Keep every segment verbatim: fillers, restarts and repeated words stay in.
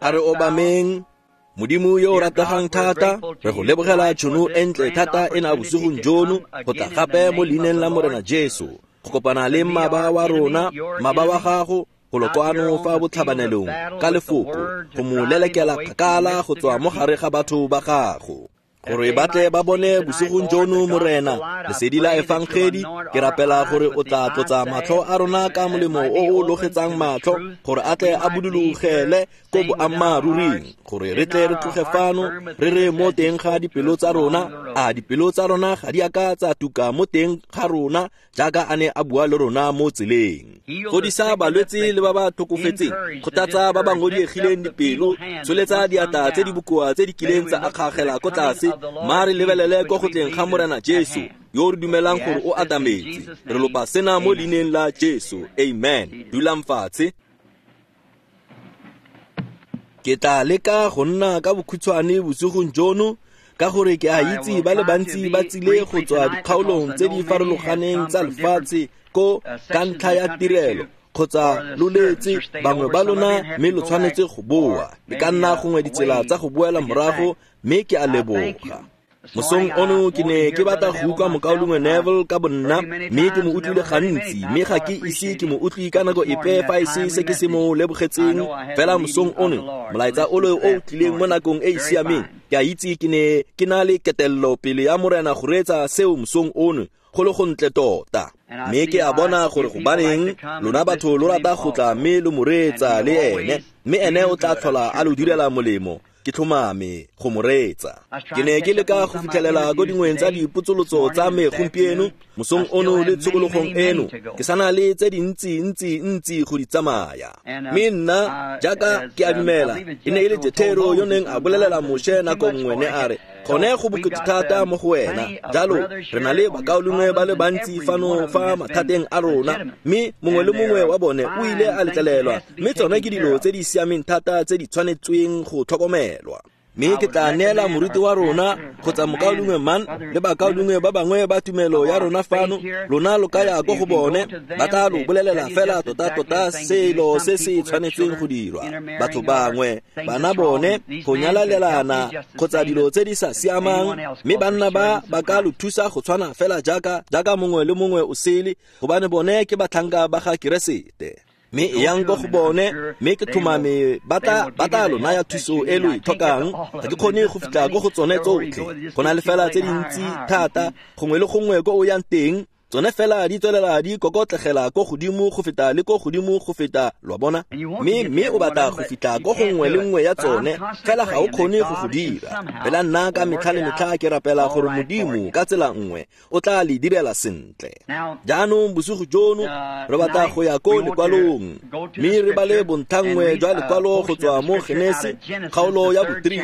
A re obameng. Modimo yo o rategang thata, re go lebogela tšhono e ntle thata e na bosigong jono go tla gape mo leineng la Morena Jesu, go kopana le mmaba wa rona, mmaba wa gago, go lo kwano fa botlhabanelong ka lefoko, go mo lelekela kgakala go tswa mo gare ga batho ba gago. Gore ba tle ba bone bosigong jono Morena, lesedi la efangedi, ke rapela gore o tla tlotsa matlho a rona ka molemo o o logetsang matlho, gore a tle a budulogele ko boammaaruring, gore re tle re tloge fano re re mo teng ga dipelo tsa rona, a dipelo tsa rona ga di a ka tsa tuka mo teng ga rona jaaka a ne a bua le rona mo tseleng. Fodisa balwetse le ba ba tlhokofetseng, kgothatsa ba ba ngodiegileng dipelo, tsholetsa diatla tse di bokoa tse di kileng tsa akgagela ko tlase, mma re lebelele ko go tleng ga Morena Jesu yo re dumelang gore o atametse. Re lopa sena mo leineng la Jesu. Amen. Dulang fatshe. Ke tla leka go nna ka bokhutshwane bosigong jono, ka gore ke a itse ba le bantsi ba tsile go tswa dikgaolong tse di farologaneng tsa lefatshe ko ka ntlha ya tirelo kgotsa lo letse bangwe ba lona, mme lo tshwanetse go boa. E ka nna gongwe ditsela tsa go boela morago, mme ke a leboga. Mosong ono ke ne ke batla go utlwa mokaulengwe Neville ka bonna, mme ke mo utlwile gantsi, mme ga ke ise ke mo utlwe ka nako epe fa e se se ke se mo lebogetseng. Fela mosong ono molaetsa ole o o tlileng mo nakong e e siameng, ke a itse ke ne ke na le ketelelo pele ya Morena go reetsa seo mosong ono, go le gontle tota. Mme ke a bona gore gobaneng lona batho lo rata go tla mme lo mo reetsa le ene, mme ene o tla tlhola a lo direla molemo. Ke tlhomame go mo reetsa. Ke ne ke leka go fitlhelela ko dingweng tsa dipotsolotso tsa me gompieno mosong ono le tshokologong eno, ke sana le tse dintsi ntsi ntsi go di tsamaya. Mme nna jaaka ke a dumela, e ne e le Jethero yo neng a bolelela Moshe nako nngwe, ne a re, gone go bokete thata mo go wena. Jalo re na le bakaulengwe ba le bantsi fano fa mathateng a rona, mme mongwe le mongwe wa bone o ile a letlelelwa, mme tsone ke dilo tse di siameng thata tse di tshwanetsweng go tlhokomelwa. Mme ke tla neela moruti wa rona kgotsa mokaulengwe Man le bakaulengwe ba bangwe ba tumelo ya rona fano, lona lo ka ya ko go bone, ba tla lo bolelela fela tota-tota selo se se tshwanetseng go dirwa. Batho bangwe bana bone go nyalalelana kgotsa dilo tse di sa siamang, mme banna ba ba ka lo thusa go tshwana fela jaaka jaaka mongwe le mongwe o sele, gobane bone ke batlhanka ba ga Keresete. Mme e yang ko go bone, mme ke tlhomame ba tla ba tla lo naya thuso e lo e tlhokang. Ga ke kgone go fitlha ko go tsone tsotlhe, go na le fela tse dintsi thata, gongwe le gongwe ko o yang teng, tsone fela di tswelela di kokotlegela ko godimo go feta le ko godimo go feta, lo a bona. Mme mme o batla go fitlha ko go nngwe le nngwe ya tsone, fela ga o kgone go go dira. Fela nna ka metlha le metlha ke rapela gore Modimo ka tsela nngwe o tla le direla sentle. Jaanong bosigo jono re batla go ya ko lekwalong, mme re bale bontlhanngwe jwa lekwalo go tswa mo Genese kgaolo ya bo three.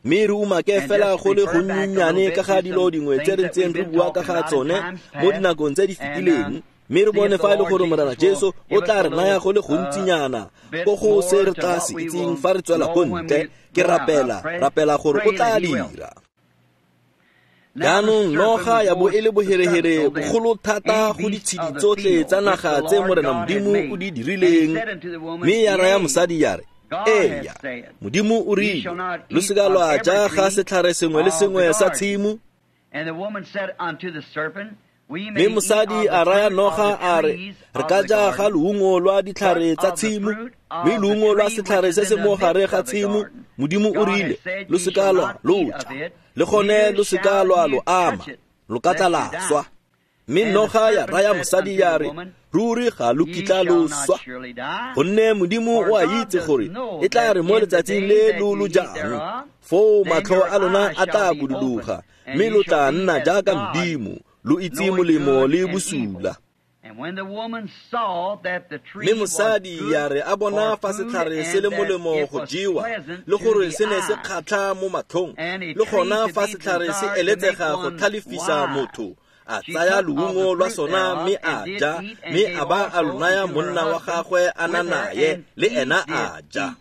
Mme re umake fela go le gonnyenyane ka ga dilo dingwe tse re ntseng re bua ka ga tsone mo dinakong tse di fetileng, mme re bone fa e le gore Morena Jesu o tla re naya go le gontsinyana ko go se re tla se itseng fa re tswela ko ntle. Ke rapela rapela gore o tla dira. Jaanong noga ya bo e le boherehere bogolo thata go ditshedi tsotlhe tsa naga tse Morena Modimo o di dirileng, mme ya raya mosadi ya re, eya, Modimo o rile, lo seka lwa ja ga setlhare sengwe le sengwe sa tshimo. Mme mosadi a raya noga a re, re ka ja ga loungo lwa ditlhare tsa tshimo, mme loungo lwa setlhare se se mo gare ga tshimo, Modimo o rile, lo seka lwa lo ja, le gone lo seka lwa lo ama, lo ka tla la swa. Mme noga ya raya mosadi ya re, ruri ga lo kitla lo swa, gonne Modimo o a itse gore e tla re mo letsatsing le lo lo jang, foo matlho a lona a tla buduloga, mme lo tla nna jaaka Modimo, lo itse molemo le bosula. Mme mosadi ya re a bona fa setlhare se le molemo go jewa, le gore se ne se kgatlha mo matlhong, le gona fa setlhare se eletsega go tlhalefisa motho, a tsaya loungo lwa sona mme a ja, mme a ba a lo naya monna wa gagwe a na naye, le ena a ja.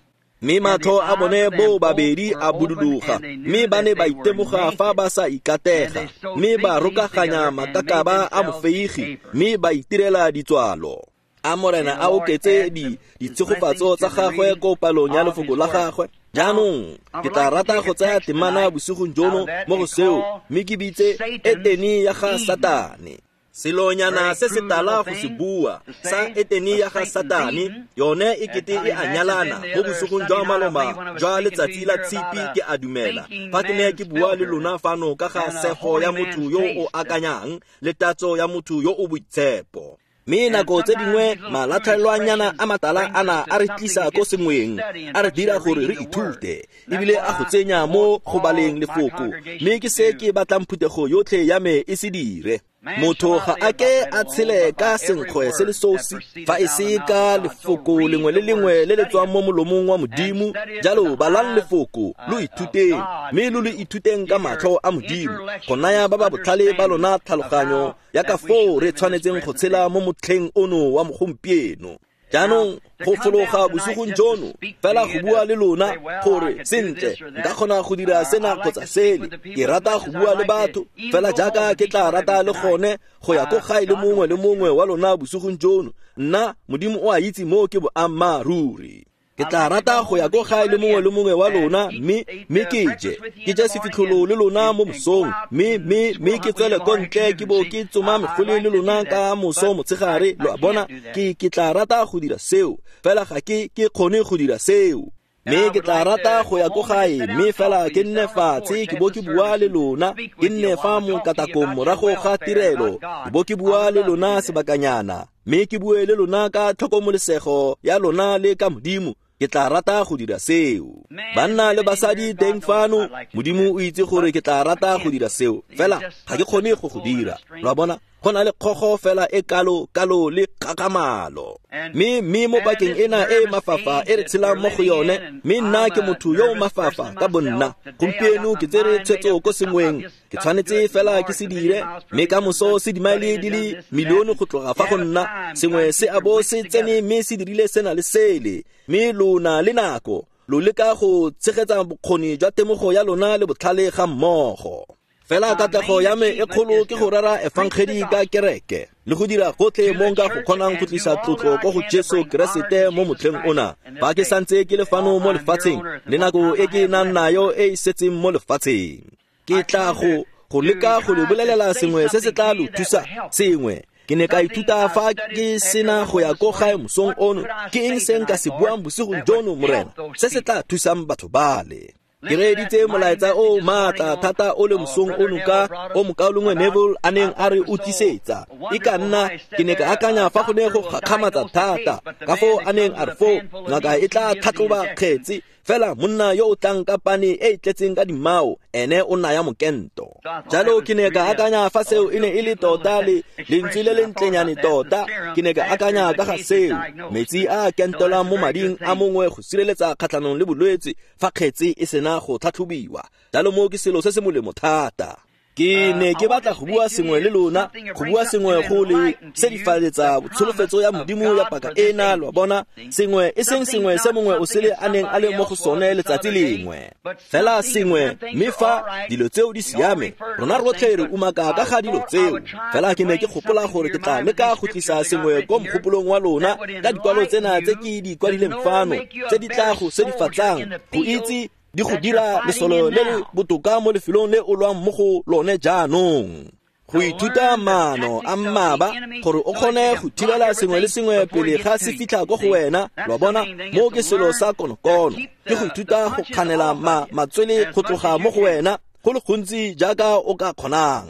Mme matlho a bone bo babedi a buduloga, mme ba ne ba itemoga fa ba sa ikatega, mme ba rokaganya makakaba a mofeigi, mme ba itirela ditswalo. A Morena a oketse di ditshegofatso tsa gagwe ko palong ya lefoko la gagwe. Jaanong ke tla rata go tsaya temana bosigong jono mo go seo, mme ke bitse Etene ya ga Satane. Selonyana se se tala go se bua sa Etene ya ga Satane, yone e kete e a nyalana mo bosigong jwa maloma jwa letsatsi la Tshipi, ke a dumela. Fa ke ne ke bua le lona fano ka ga sego ya motho yo o akanyang le tatso ya motho yo o boitshepo. Mme nako tse dingwe malatlhelwanyana a matala ana a re tlisa ko sengweng, a re dira gore re ithute, ebile a go tsenya mo go baleng lefoko. Mme ke se ke batlang phuthego yotlhe ya me e se dire. Motho ga a ke a tshele ka senkgwe se le sosi, fa e se ka lefoko lengwe le lengwe le le tswang mo molomong wa Modimo. Jalo balang lefoko, lo ithuteng, mme lo le ithuteng ka matlho a Modimo, go naya ba ba botlhale ba lona tlhaloganyo ya ka foo re tshwanetseng go tshela mo motlheng ono wa gompieno. Jaanong go fologa bosigong jono fela go bua le lona gore sentle nka kgona go dira sena kgotsa sele. Ke rata go bua le batho fela jaaka ke tla rata le gone go ya ko gae le mongwe le mongwe wa lona bosigong jono. Nna Modimo o a itse mo ke boammaaruri. Ke tla rata go ya ko gae le mongwe le mongwe wa lona, mme mme ke je ke je sefitlholo le lona mo mosong, mme mme mme ke tswele ko ntle ke bo ke tsoma megole le lona ka moso motshegare. Lo a bona, ke ke tla rata go dira seo, fela ga ke ke kgone go dira seo. Mme ke tla rata go ya ko gae, mme fela ke nne fatshe ke bo ke bua le lona, ke nne fa mo katakong morago ga tirelo, ke bo ke bua le lona sebakanyana, mme ke bue le lona ka tlhokomolesego ya lona le ka Modimo. Ke tla rata go dira seo. Banna le basadi teng fano, Modimo o itse gore ke tla rata go dira seo, fela ga ke kgone go go dira. Lo a bona, go na le kgogo fela e kalo kalo le kgakamalo. Mme mme mo pakeng ena e mafafa e re tshelang mo go yone, mme nna ke motho yo o mafafa ka bonna. Gompieno ke tsere tshwetso ko sengweng, ke tshwanetse fela ke se dire, mme ka moso se dimaele di le milione go tloga fa go nna, sengwe se a bo se tsene mme se dirile sena le sele. Mme lona le nako lo leka go tshegetsa bokgoni jwa temogo ya lona le botlhale ga mmogo. Fela katlego ya me e kgolo ke go rera efangedi ka kereke le go dira gotlhe mo nka go kgonang go tlisa tlotlo ko go Jesu Keresete mo motlheng ona. Fa ke santse ke le fano mo lefatsheng le nako e ke nang nayo e e setseng mo lefatsheng, ke tla go go leka go le bolelela sengwe se se tla lo thusa sengwe. Ke ne ka ithuta fa ke sena go ya ko gae mosong ono, ke eng se nka se buang bosigong jono, Morena, se se tla thusang batho bale. Ke reeditse molaetsa o maatla thata o le mosong ono ka o mokaulengwe Neville a neng a re o tlisetsa. E ka nna ke ne ka akanya fa go ne go gakgamatsa thata ka foo a neng a re foo ngaka e tla tlhatlhoba kgetse, fela monna yo o tlang ka pane e e tletseng ka dimao ene o naya mokento. Jalo ke ne ka akanya fa seo e ne e le tota le lentswe le le ntlenyane tota. Ke ne ka akanya ka ga seo, metsi a kentolang mo mading a mongwe go sireletsa kgatlhanong le bolwetse fa kgetse e sena go tlhatlhobiwa. Jalo mo ke selo se se molemo thata. Ke ne ke batla go bua sengwe le lona, go bua sengwe go le sedifaletsa tsholofetso ya Modimo ya paka ena. Lo bona, sengwe e seng sengwe se mongwe o sele a neng a le mo go sone letsatsi lengwe, fela sengwe. Mme fa dilo tseo di siame, rona rotlhe re umaka ka ga dilo tseo. Fela ke ne ke gopola gore ke tla leka go tlisa sengwe ko mogopolong wa lona ka dikwalo tsena tse ke di kwadileng fano, tse di tla go sedifatsang go itse di go dira lesolo le le botoka mo lefelong le o lwang mo go lone jaanong. Go ithuta maano a mmaba gore o kgone go thibela sengwe le sengwe pele ga se fitlha ko go wena. Lo bona, mo ke selo sa konokono, ke go ithuta go kganela ma matswele go tloga mo go wena go le gontsi jaaka o ka kgonang.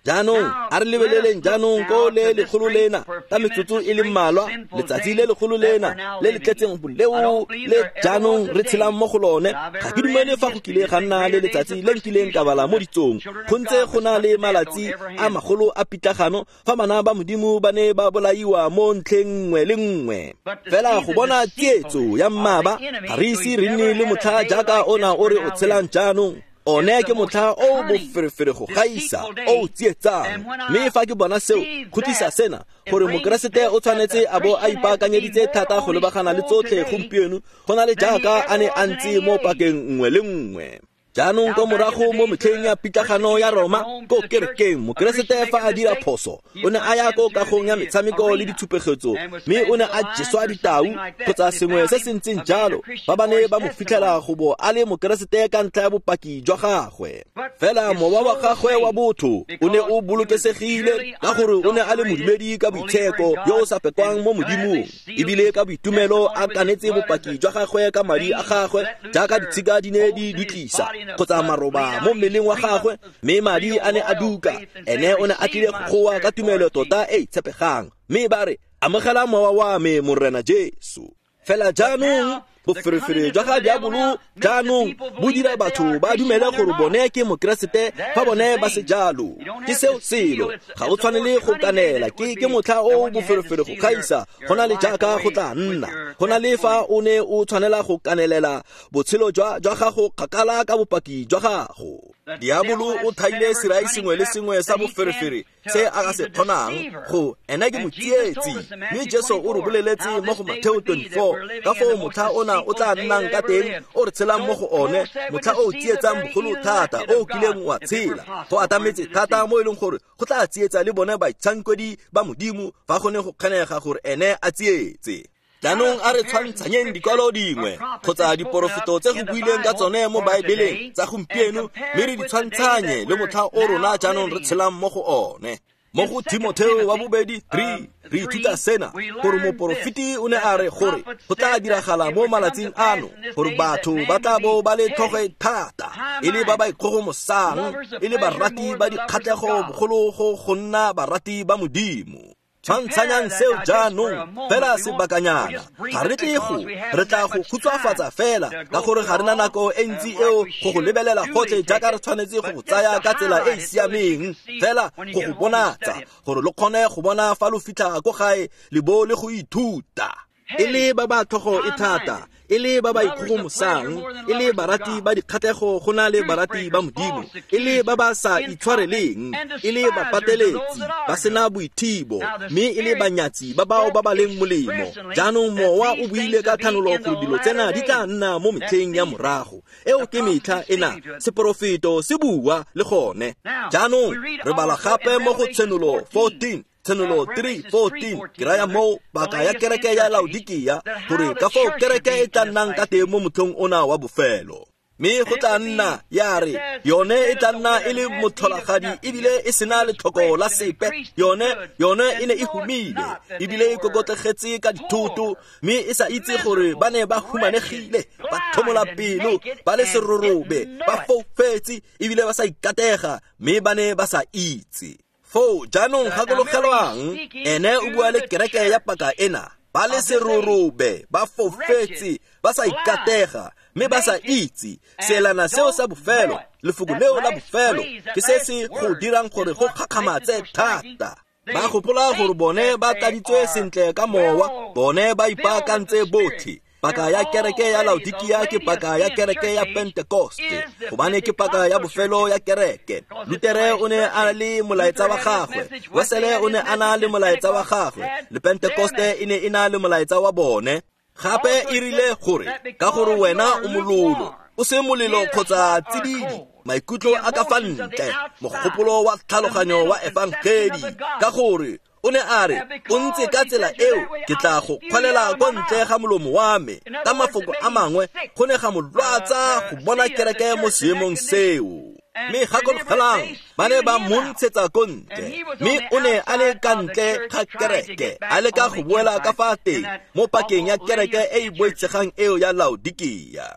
Jaanong a re lebeleleng jaanong ko le lekgolo lena ka metsotso e le mmalwa, letsatsi le lekgolo lena le le tletseng boleo le jaanong re tshelang mo go lone. Ga ke dumele fa go kile ga nna le letsatsi le nkileng ka bala mo ditsong. Go ntse go na le malatsi a magolo a pitlagano fa bana ba Modimo ba ne ba bolaiwa mo ntlheng nngwe le nngwe. Fela go bona tsietso ya mmaba, ga re ise re nne le motlha jaaka ona o re o tshelang jaanong. One ke motlha o boferefere go gaisa, o tsietsang. Mme fa ke bona seo, go tlisa sena gore Mokeresete o tshwanetse a bo a ipaakanyeditse thata go lebagana le tsotlhe gompieno go na le jaaka a ne a ntse mo pakeng nngwe le nngwe. Jaanong ko morago mo metlheng ya pitlagano ya Roma ko kerekeng, Mokeresete fa a dira phoso o ne a ya ko kagong ya metshameko le ditshupegetso, mme o ne a jeswa ditau kgotsa sengwe se se ntseng jalo fa ba ne ba mo fitlhela go bo a le Mokeresete ka ntlha ya bopaki jwa gagwe. Fela mowa wa gagwe wa botho o ne o bolokesegile ka gore o ne a le modumedi ka boitsheko yo o sa pekwang mo Modimong, ebile ka boitumelo a kanetse bopaki jwa gagwe ka madi a gagwe jaaka ditshika di ne di dutlisa kgotsa maroba mo mmeleng wa gagwe, mme madi a ne a duka. Ene o ne a tlile go goa ka tumelo tota e e tshepegang, mme ba re, amogela mowa wa me, Morena Jesu. Fela jaanong boferefere jwa ga diabolo jaanong bo dira batho ba dumele gore bone ke Mokeresete fa bone ba se jalo. Ke seo selo, ga o tshwanele go kanela. Ke ke motlha o boferefere go gaisa go na le jaaka go tla nna go na le fa o ne o tshwanela go kanelela botshelo jwa jwa gago kgakala ka bopaki jwa gago. Diabolo o thaile serai sengwe le sengwe sa boferefere se a ka se kgonang go ena ke motsietsi, mme Jesu o re boleletse mo go Mateo twenty-four ka foo motlha ona o tla nnang ka teng o re tshelang mo go one, motlha o tsietsang bogolo thata o kileng wa tshela. Go atametse thata mo e leng gore go tla tsietsa le bone baitshankwedi ba Modimo fa go ne go kgonega gore ene a tsietse. Jaanong a re tshwantshanyeng dikwalo dingwe kgotsa diporofeto tse go builweng ka tsone mo Baebeleng tsa gompieno, mme re di tshwantshanye le motlha o rona jaanong re tshelang mo go one. Mo go Timotheo wa bobedi three re ithuta sena, gore moporofeti o ne a re gore go tla diragala mo malatsing ano gore batho ba tla bo ba le tlhogo e thata, e le ba ba ikgogomosang, e le barati ba dikgatlhego bogolo go go nna barati ba Modimo. Tshwantshanyang seo jaanong fela sebakanyana, ga re tle go re tla go khutshwafatsa fela ka gore ga re na nako e ntsi eo go go lebelela gotlhe jaaka re tshwanetse go go tsaya ka tsela e e siameng, fela go go bonatsa gore lo kgone go bona fa lo fitlha ko gae le bo le go ithuta. E le ba ba tlhogo e thata, e le ba ba ikgogomosang, e le barati ba dikgatlhego go na le barati ba Modimo, e le ba ba sa itshwareleng, e le bapateletsi ba sena boithibo, mme e le banyatsi ba bao ba ba leng molemo. Jaanong mowa o buile ka thanolo gore dilo tsena di tla nna mo metlheng ya morago. Eo ke metlha ena, seporofeto se bua le gone. Jaanong re bala gape mo go Tshenolo fourteen, Tshenolo three fourteen, ke raya moo paka ya kereke ya Laodikia, gore ka foo kereke e tla nnang ka teng mo motlhong ona wa bofelo. Mme go tla nna ya re yone e tla nna e le motlholagadi ebile e sena letlhoko la sepe. Yone yone e ne e humile ebile e kokotlegetse ka dithoto, mme e sa itse gore ba ne ba humanegile, ba thomola pelo, ba le serorobe, ba foufetse ebile ba sa ikatega, mme ba ne ba sa itse. Foo jaanong gakologelwang, ene o bua le kereke ya paka ena, ba le serorobe, ba foufetse, ba sa ikatega, mme ba sa itse. Seelana seo sa bofelo, lefoko leo la bofelo, ke se se go dirang gore go kgakgamatse thata. Ba gopola gore bone ba tladitswe sentle ka mowa, bone ba ipaakantse botlhe. Paka ya kereke ya Laodikia ke paka ya kereke ya Pentekoste, gobane ke paka ya bofelo ya kereke. Lutere o ne a le molaetsa wa gagwe, Wesele o ne a na le molaetsa wa gagwe, le Pentekoste e ne e na le molaetsa wa bone. Gape e rile gore ka gore wena o mololo, o se molelo kgotsa tsididi, maikutlo a ka fa ntle, mogopolo wa tlhaloganyo wa efangedi, ka gore o ne a re o ntse ka tsela eo ke tla go kgwalela ko ntle ga molomo wa me. Ka mafoko a mangwe, go ne ga mo lwatsa go bona kereke mo seemong seo. Mme gakologelang, ba ne ba mo ntshetsa ko ntle, mme o ne a le ka ntle ga kereke, a leka go boela ka fa teng mo pakeng ya kereke e e boitshegang eo ya Laodikia.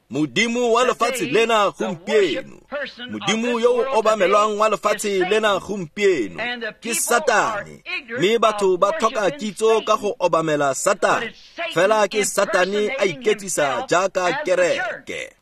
Modimo wa lefatshe lena gompieno, Modimo yo o obamelwang wa lefatshe lena gompieno ke Satane, mme batho ba tlhoka kitso ka go obamela Satane, fela ke Satane a iketsisa jaaka kereke.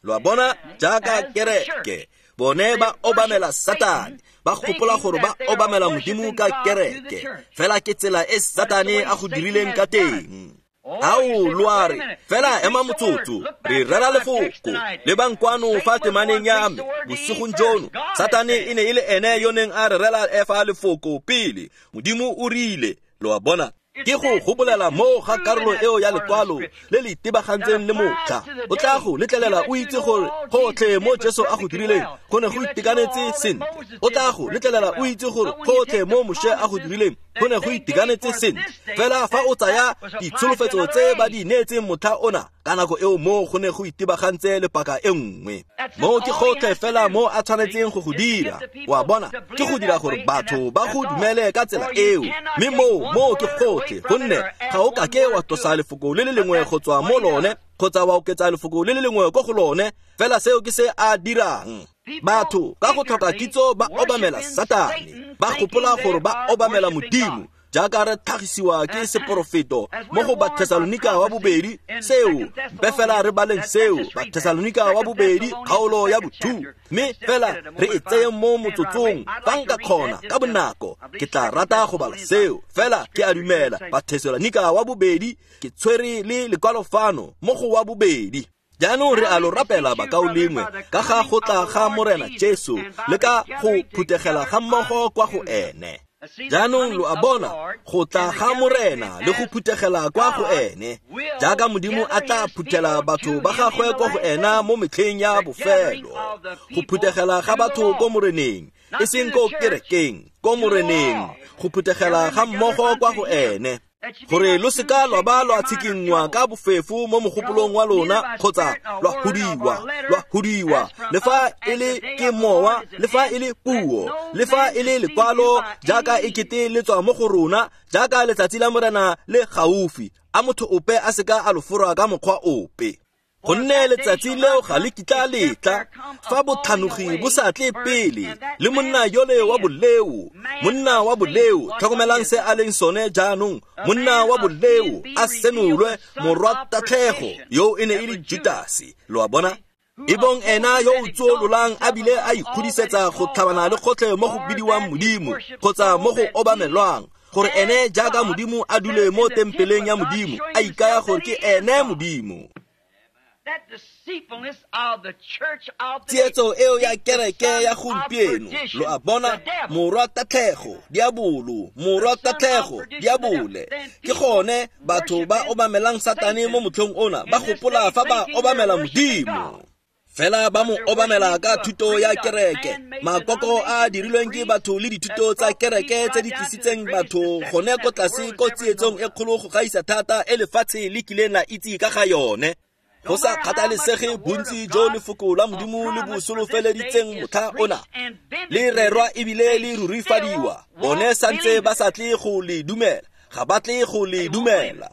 Lo a bona, jaaka kereke, bone ba obamela Satane, ba gopola gore ba obamela Modimo ka kereke, fela ke tsela e Satane a go dirileng ka teng. Ao lo a re, fela ema motsotso, re rera lefoko, lebang kwano fa temaneng ya me bosigong jono. Satane e ne e le ene yo neng a re rera Efa lefoko pele. Modimo o rile, lo a bona. Ke go gopolela mo ga karolo eo ya lekwalo le le itebagantseng le motlha. O tla go letlelela o itse gore gotlhe mo Jesu a go dirileng go ne go itekanetse sentle. O tla go letlelela o itse gore gotlhe mo Moshe a go dirileng go ne go itekanetse sentle. Fela fa o tsaya ditsholofetso tse ba di neetseng motlha ona ka nako eo mo go ne go itebagantse le paka e nngwe. Mo ke gotlhe fela mo a tshwanetseng go go dira. Wa bona, ke go dira gore batho ba go dumele ka tsela eo. Mme moo mo ke gotlhe, gonne ga o kake wa tlosa lefoko le le lengwe go tswa mo lone kgotsa wa oketsa lefoko le le lengwe ko go lone. Fela seo ke se a dirang. Batho ka go tlhoka kitso ba obamela Satane, ba gopola gore ba obamela Modimo. Jaaka re tlhagisiwa ke seporofeto mo go Bathesalonika wa bobedi, seo mpe fela re baleng seo, Bathesalonika wa bobedi kgaolo ya bothu, mme fela re e tseye mo motsotsong fa nka kgona ka bonako. Ke tla rata go bala seo, fela ke a dumela Bathesalonika wa bobedi ke tshwere le lekwalo fano mo go wa bobedi. Jaanong re a lo rapela bakaulengwe ka ga go tla ga Morena Jesu le ka go phuthegela ga mmogo kwa go ene. Jaanong lo a bona go tla ga Morena le go phuthegela kwa go ene, jaaka Modimo a tla phuthela batho ba gagwe kwa go ena mo metlheng ya bofelo. Go phuthegela ga batho ko Moreneng, e seng ko kerekeng, ko Moreneng, go phuthegela ga mmogo kwa go ene. Gore lo seka lwa ba lwa tshikinngwa ka bofefo mo mogopolong wa lona kgotsa lwa hudiwa, lwa hudiwa, le fa e le ke mowa, le fa e le puo, le fa e le lekwalo, jaaka e kete le tswa mo go rona, jaaka letsatsi la Morena le gaufi. A motho ope a seka a lo fora ka mokgwa ope. Gonne letsatsi leo ga le kitla letla fa botlhanogi bo sa tle pele, le monna yole wa boleo, monna wa boleo, tlhokomelang se a leng sone jaanong, monna wa boleo a senolwe, morwa tatlhego, yo e ne e le Judase. Lo a bona? Ebong ena yo o tsuololang a bile a ikgodisetsa go tlhabana le gotlhe mo go bidiwang Modimo kgotsa mo go obamelwang, gore ene jaaka Modimo a dule mo tempeleng ya Modimo, a ikaya gore ke ene Modimo. Tsietso eo ya kereke ya gompieno, lo a bona, morwa tatlhego, diabolo, morwa tatlhego, diabole. Ke gone batho ba obamelang Satane mo motlhong ona, ba gopola fa ba obamela Modimo. Fela ba mo obamela ka thuto ya kereke, makoko a dirilweng ke batho le dithuto tsa kereke tse di tlisitseng batho gone ko tlase ko tsietsong e kgolo go gaisa thata e lefatshe le kileng la itse ka ga yone. Go sa kgathalesege bontsi jo lefoko la Modimo le bo solofeleditseng motlha ona, le rerwa ebile le rurifadiwa, bone santse ba sa tle go le dumela, ga ba tle go le dumela.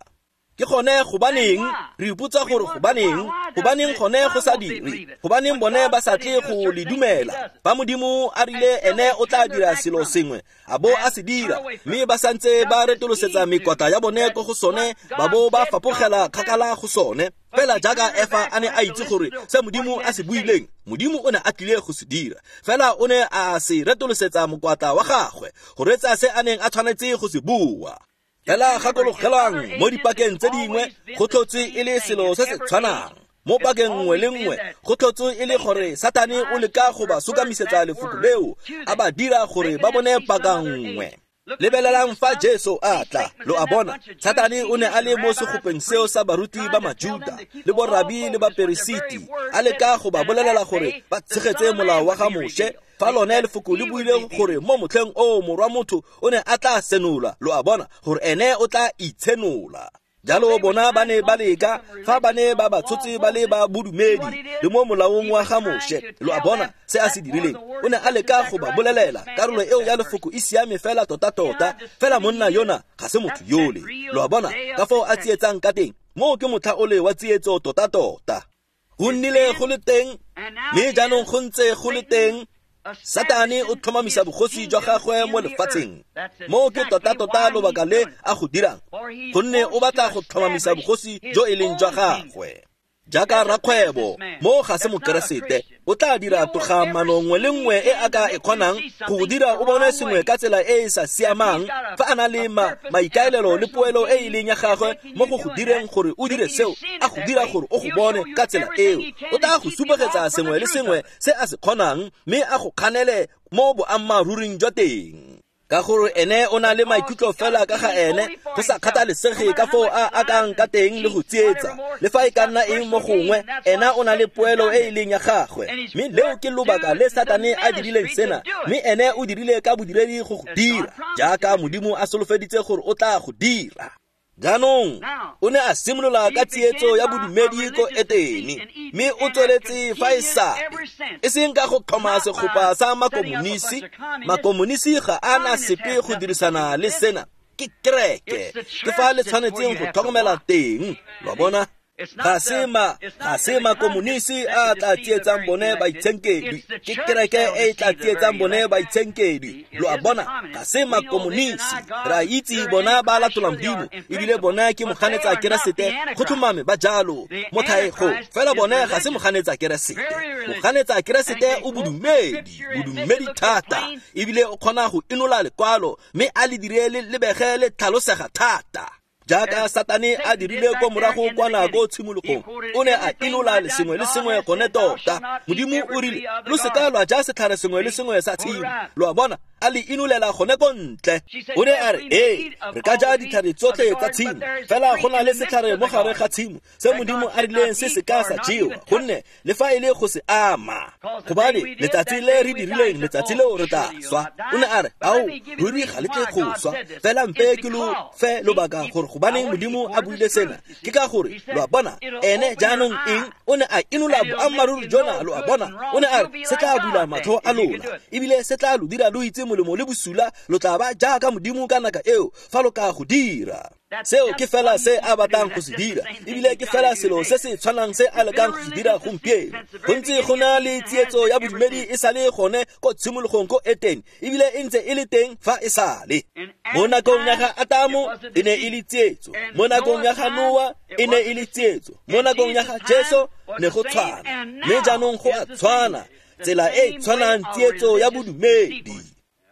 Ke gone gobaneng re ipotsa gore gobaneng, gobaneng gone go sa dire, gobaneng bone ba sa tle go le dumela. Ba Modimo a rile ene o tla dira selo sengwe, a bo a se dira, mme ba santse ba retolosetsa mekwatla ya bone ko go sone, ba bo ba fapogela kgakala go sone. Fela jaaka Efa a ne a itse gore se Modimo a se buileng, Modimo o ne a tlile go se dira. Fela o ne a se retolosetsa mokwatla wa gagwe go reetsa se a neng a tshwanetse go se bua. Fela gakologelang mo dipakeng tse dingwe go tlhotswe e le selo se se tshwanang. Mo pakeng nngwe le nngwe go tlhotswe e le gore Satane o leka go ba sokamisetsa lefoko leo, a ba dira gore ba bone paka nngwe. Lebelelang fa Jesu a tla, lo a bona, Satane o ne a le mo segopeng seo sa baruti ba Majuda le borabi le baperesiti, a leka go ba bolelela gore ba tshegetse molao wa ga Moshe. Fa lone lefoko le buile gore mo motlheng o morwa motho o ne a tla senola, lo a bona, gore ene o tla itshenola. Jalo bona ba ne ba leka fa ba ne ba ba tshotse ba le ba bodumedi le mo molaong wa ga Moshe. Lo a bona se a se dirileng, o ne a leka go ba bolelela karolo eo ya lefoko e siame fela tota-tota, fela monna yona ga se motho yole. Lo a bona ka foo a tsietsang ka teng, moo ke motlha ole wa tsietso tota-tota. Go nnile go le teng, mme jaanong go ntse go le teng. Satane o tlhomamisa bogosi jwa gagwe mo lefatsheng. Moo ke tota-tota lobaka le a go dirang, gonne o batla go tlhomamisa bogosi jo e leng jwa gagwe. Jaaka rakgwebo, mo ga se mokeresete, o tla dira togamano nngwe le nngwe e a ka e kgonang go go dira o bone sengwe ka tsela e e sa siamang, fa a na le ma maikaelelo le poelo e e leng ya gagwe mo go go direng gore o dire seo, a go dira gore o go bone ka tsela eo. O tla go supegetsa sengwe le sengwe se a se kgonang, mme a go kganele mo boammaaruring jwa teng. Ka gore ene o na le maikutlo fela ka ga ene, go sa kgathalesege ka foo a akang ka teng le go tsietsa. Le fa e ka nna eng mo gongwe, ena o na le poelo e e leng ya gagwe. Mme leo ke lobaka le Satane a dirileng sena, mme ene o dirile ka bodiredi go go dira, jaaka Modimo a solofeditse gore o tla go dira. Jaanong o ne a simolola ka tsietso ya bodumedi ko Etene, mme o tsweletse fa e sale, e seng ka go tlhoma segopa sa makomonisi. Makomonisi ga a na sepe go dirisana le sena, ke kereke, ke fa le tshwanetseng go tlhokomela teng, lo a bona. Ga se ma ga se makomonisi a tla tsietsang bone baitshenkedwi, ke kereke e e tla tsietsang bone baitshenkedwi, lo a bona. Ga se makomonisi, re a itse bona ba latola Modimo, ebile bona ke moganetsa Keresete, go tlhomame ba jalo mo thaego, fela bone ga se moganetsa Keresete. Moganetsa Keresete o bodumedi, bodumedi thata, ebile o kgona go inola lekwalo mme a le dire le lebege le tlhalosega thata. Jaaka Satane a dirile ko morago kwa nako tshimologong, o ne a inola le sengwe le sengwe gone tota. Modimo o rile, lo seka lwa ja setlhare sengwe le sengwe sa tshimo, lo a bona, a le inolela gone ko ntle. O ne a re, ee, re ka ja ditlhare tsotlhe tsa tshimo, fela go na le setlhare mo gare ga tshimo se Modimo a rileng se se ka sa jewa, gonne le fa e le go se ama, gobane letsatsi le re dirileng letsatsi leo re tla swa. O ne a re, ao, ruri ga le tle go swa, fela mpe ke lo fe lobaka gore gobaneng Modimo a buile sena. Ke ka gore, lo a bona, ene jaanong eng, o ne a inola boammaaruri jona, lo a bona. O ne a re, se tla bula matlho a lona, ebile se tla lo dira lo itse molemo le bosula, lo tla ba jaaka Modimo ka nako eo fa lo ka go dira. Seo ke fela se a batlang go se dira, ebile ke fela selo se se tshwanang se a lekang go se dira gompieno. Go ntse go na le tsietso ya bodumedi e sale gone ko tshimologong ko Etene, ebile e ntse e le teng fa e sale. Mo nakong ya ga Atamo e ne e le tsietso, mo nakong ya ga Noa e ne e le tsietso, mo nakong ya ga Jesu ne go tshwana, mme jaanong go a tshwana, tsela e tshwanang tsietso ya bodumedi.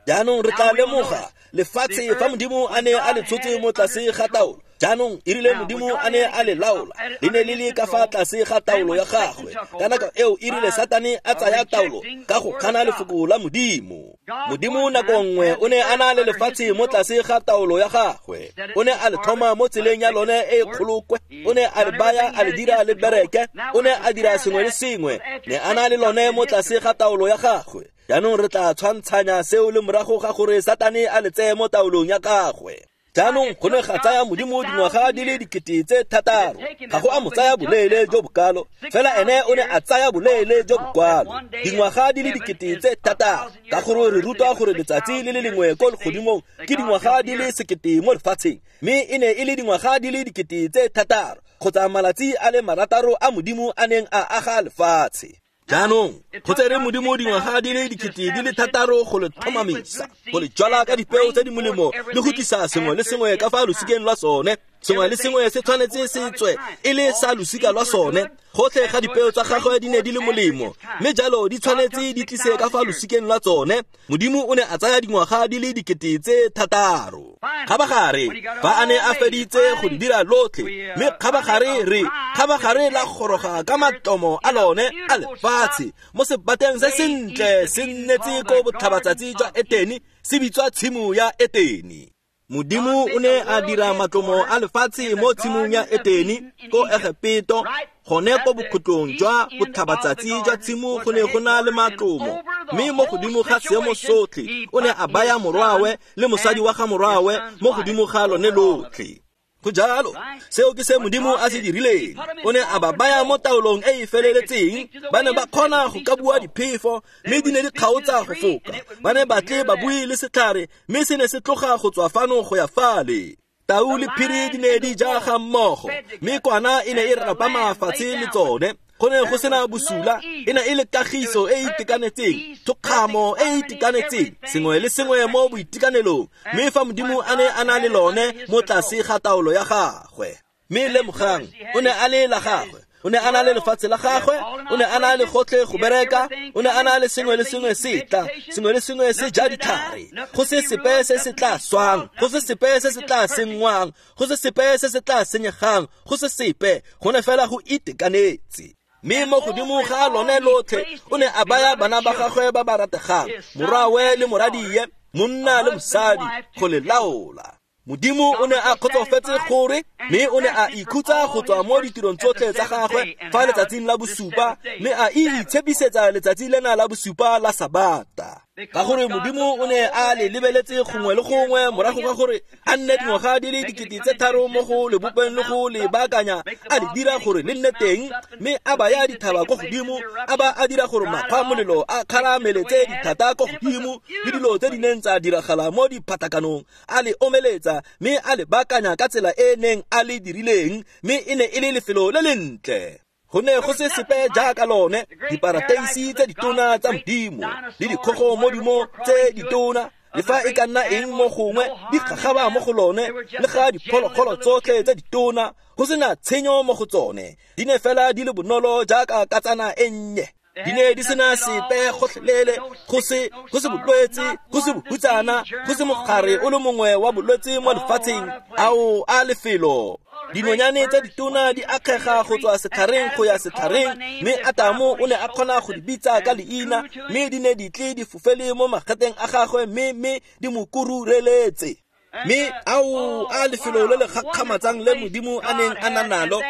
Jaanong re tla lemoga lefatshe fa Modimo a ne a le tshotse mo tlase ga taolo. Jaanong e rile Modimo a ne a le laola, le ne le le ka fa tlase ga taolo ya gagwe. Ka nako eo e rile Satane a tsaya taolo ka go gana lefoko la Modimo. Modimo nako nngwe o ne a na le lefatshe mo tlase ga taolo ya gagwe, o ne a le tlhoma mo tseleng ya lone e kgolokwe, o ne a le baya a le dira le bereke, o ne a dira sengwe le sengwe, ne a na le lone mo tlase ga taolo ya gagwe. Jaanong re tla tshwantshanya seo le morago ga gore Satane a le tseye mo taolong ya gagwe. Jaanong go ne ga tsaya Modimo dingwaga di le dikete tse thataro, ga go a mo tsaya boleele jo bokalo, fela ene o ne a tsaya boleele jo bokwalo, dingwaga di le dikete tse thataro, ka gore re rutwa gore letsatsi le le lengwe ko legodimong ke dingwaga di le sekete mo lefatsheng, mme e ne e le dingwaga di le dikete tse thataro kgotsa malatsi a le marataro a Modimo a neng a aga lefatshe. Jaanong go tsere Modimo dingwaga di le dikete di le thataro go le tlhomamisa, go le jwala ka dipeo tse di molemo le go tlisa sengwe le sengwe ka fa losikeng lwa sone. Sengwe le sengwe se tshwanetse se tswe e le sa losika lwa sone. Gotlhe ga dipeo tsa gagwe di ne di le molemo, mme jalo di tshwanetse di tlise ka fa losikeng lwa tsone. Modimo o ne a tsaya dingwaga di le dikete tse thataro. Kgabagare fa a ne a feditse go di dira lotlhe, mme kgabagare re kgabagare la goroga ka matlomo a lone a lefatshe mo sebateng se sentle se nnetse ko botlhabatsatsi jwa Etene, se bitswa tshimo ya Etene. Modimo o ne a dira matlomo a lefatshe mo tshimong ya Etene ko Egepeto, gone ko bokhutlong jwa botlhabatsatsi jwa tshimo go ne go na le matlomo, mme mo godimo ga seemo sotlhe o ne a baya morwawe le mosadi wa ga morwawe mo godimo ga lone lotlhe. Go jalo, seo ke se Modimo a se dirileng. O ne a ba baya mo taolong e e feleletseng. Ba ne ba kgona go ka bua diphefo, mme di ne di kgaotsa go foka. Ba ne ba tle ba bue le setlhare, mme se ne se tloga go tswa fano go ya fale. Tau le phiri di ne di ja ga mmogo, mme kwana e ne e rapama fatshe le tsone. Go ne go sena bosula, e ne e le kagiso e e itekanetseng, thokgamo e e itekanetseng, sengwe le sengwe mo boitekanelong, mme fa Modimo a ne a na le lone mo tlase ga taolo ya gagwe. Mme lemogang, o ne a le la gagwe, o ne a na le lefatshe la gagwe, o ne a na le gotlhe go bereka, o ne a na le sengwe le sengwe se tla, sengwe le sengwe se ja ditlhare, go se sepe se se tla swang, go se sepe se se tla senngwang, go se sepe se se tla senyegang, go se sepe, go ne fela go itekanetse. Mme mo godimo ga lone lotlhe o ne a baya bana ba gagwe ba ba rategang, morwawe le moradie, monna le mosadi go le laola. Modimo o ne a kgotsofetse gore mme o ne a ikhutsa go tswa mo ditirong tsotlhe tsa gagwe fa letsatsing la bosupa, mme a itshepisetsa letsatsi lena la bosupa la Sabata. Ka gore Modimo o ne a le lebeletse gongwe le gongwe morago ga gore a nne dingwaga di le dikete tse tharo mo go le bopeng le go le baakanya, a le dira gore le nne teng, mme a baya dithaba ko godimo, a ba a dira gore makgwa a molelo a kgarameletse dithata ko godimo, le dilo tse di neng tsa diragala mo diphatakanong, a le omeletsa mme a le baakanya ka tsela e neng a le dirileng, mme e ne e le lefelo le lentle. Go ne go se sepe jaaka lone, diparateisi tse ditona tsa Modimo le dikgogo modimo tse ditona, le fa e ka nna eng mo gongwe di gagaba mo go lone, le ga diphologolo tsotlhe tse ditona go sena tshenyo mo go tsone, di ne fela di le bonolo jaaka katsana e nnye. Di ne di sena sepe gotlhelele, go se go se bolwetse, go se bohutsana, go se mogare o le mongwe wa bolwetse mo lefatsheng. Ao a lefelo! Dinonyane tse ditona di akgega go tswa setlhareng go ya setlhareng, mme Atamo o ne a kgona go di bitsa ka leina, mme di ne di tle di fofele mo mageteng a gagwe, mme mme di mo kurureletse. Mme ao a lefelo le le gakgamatsang le Modimo a neng a na nalo,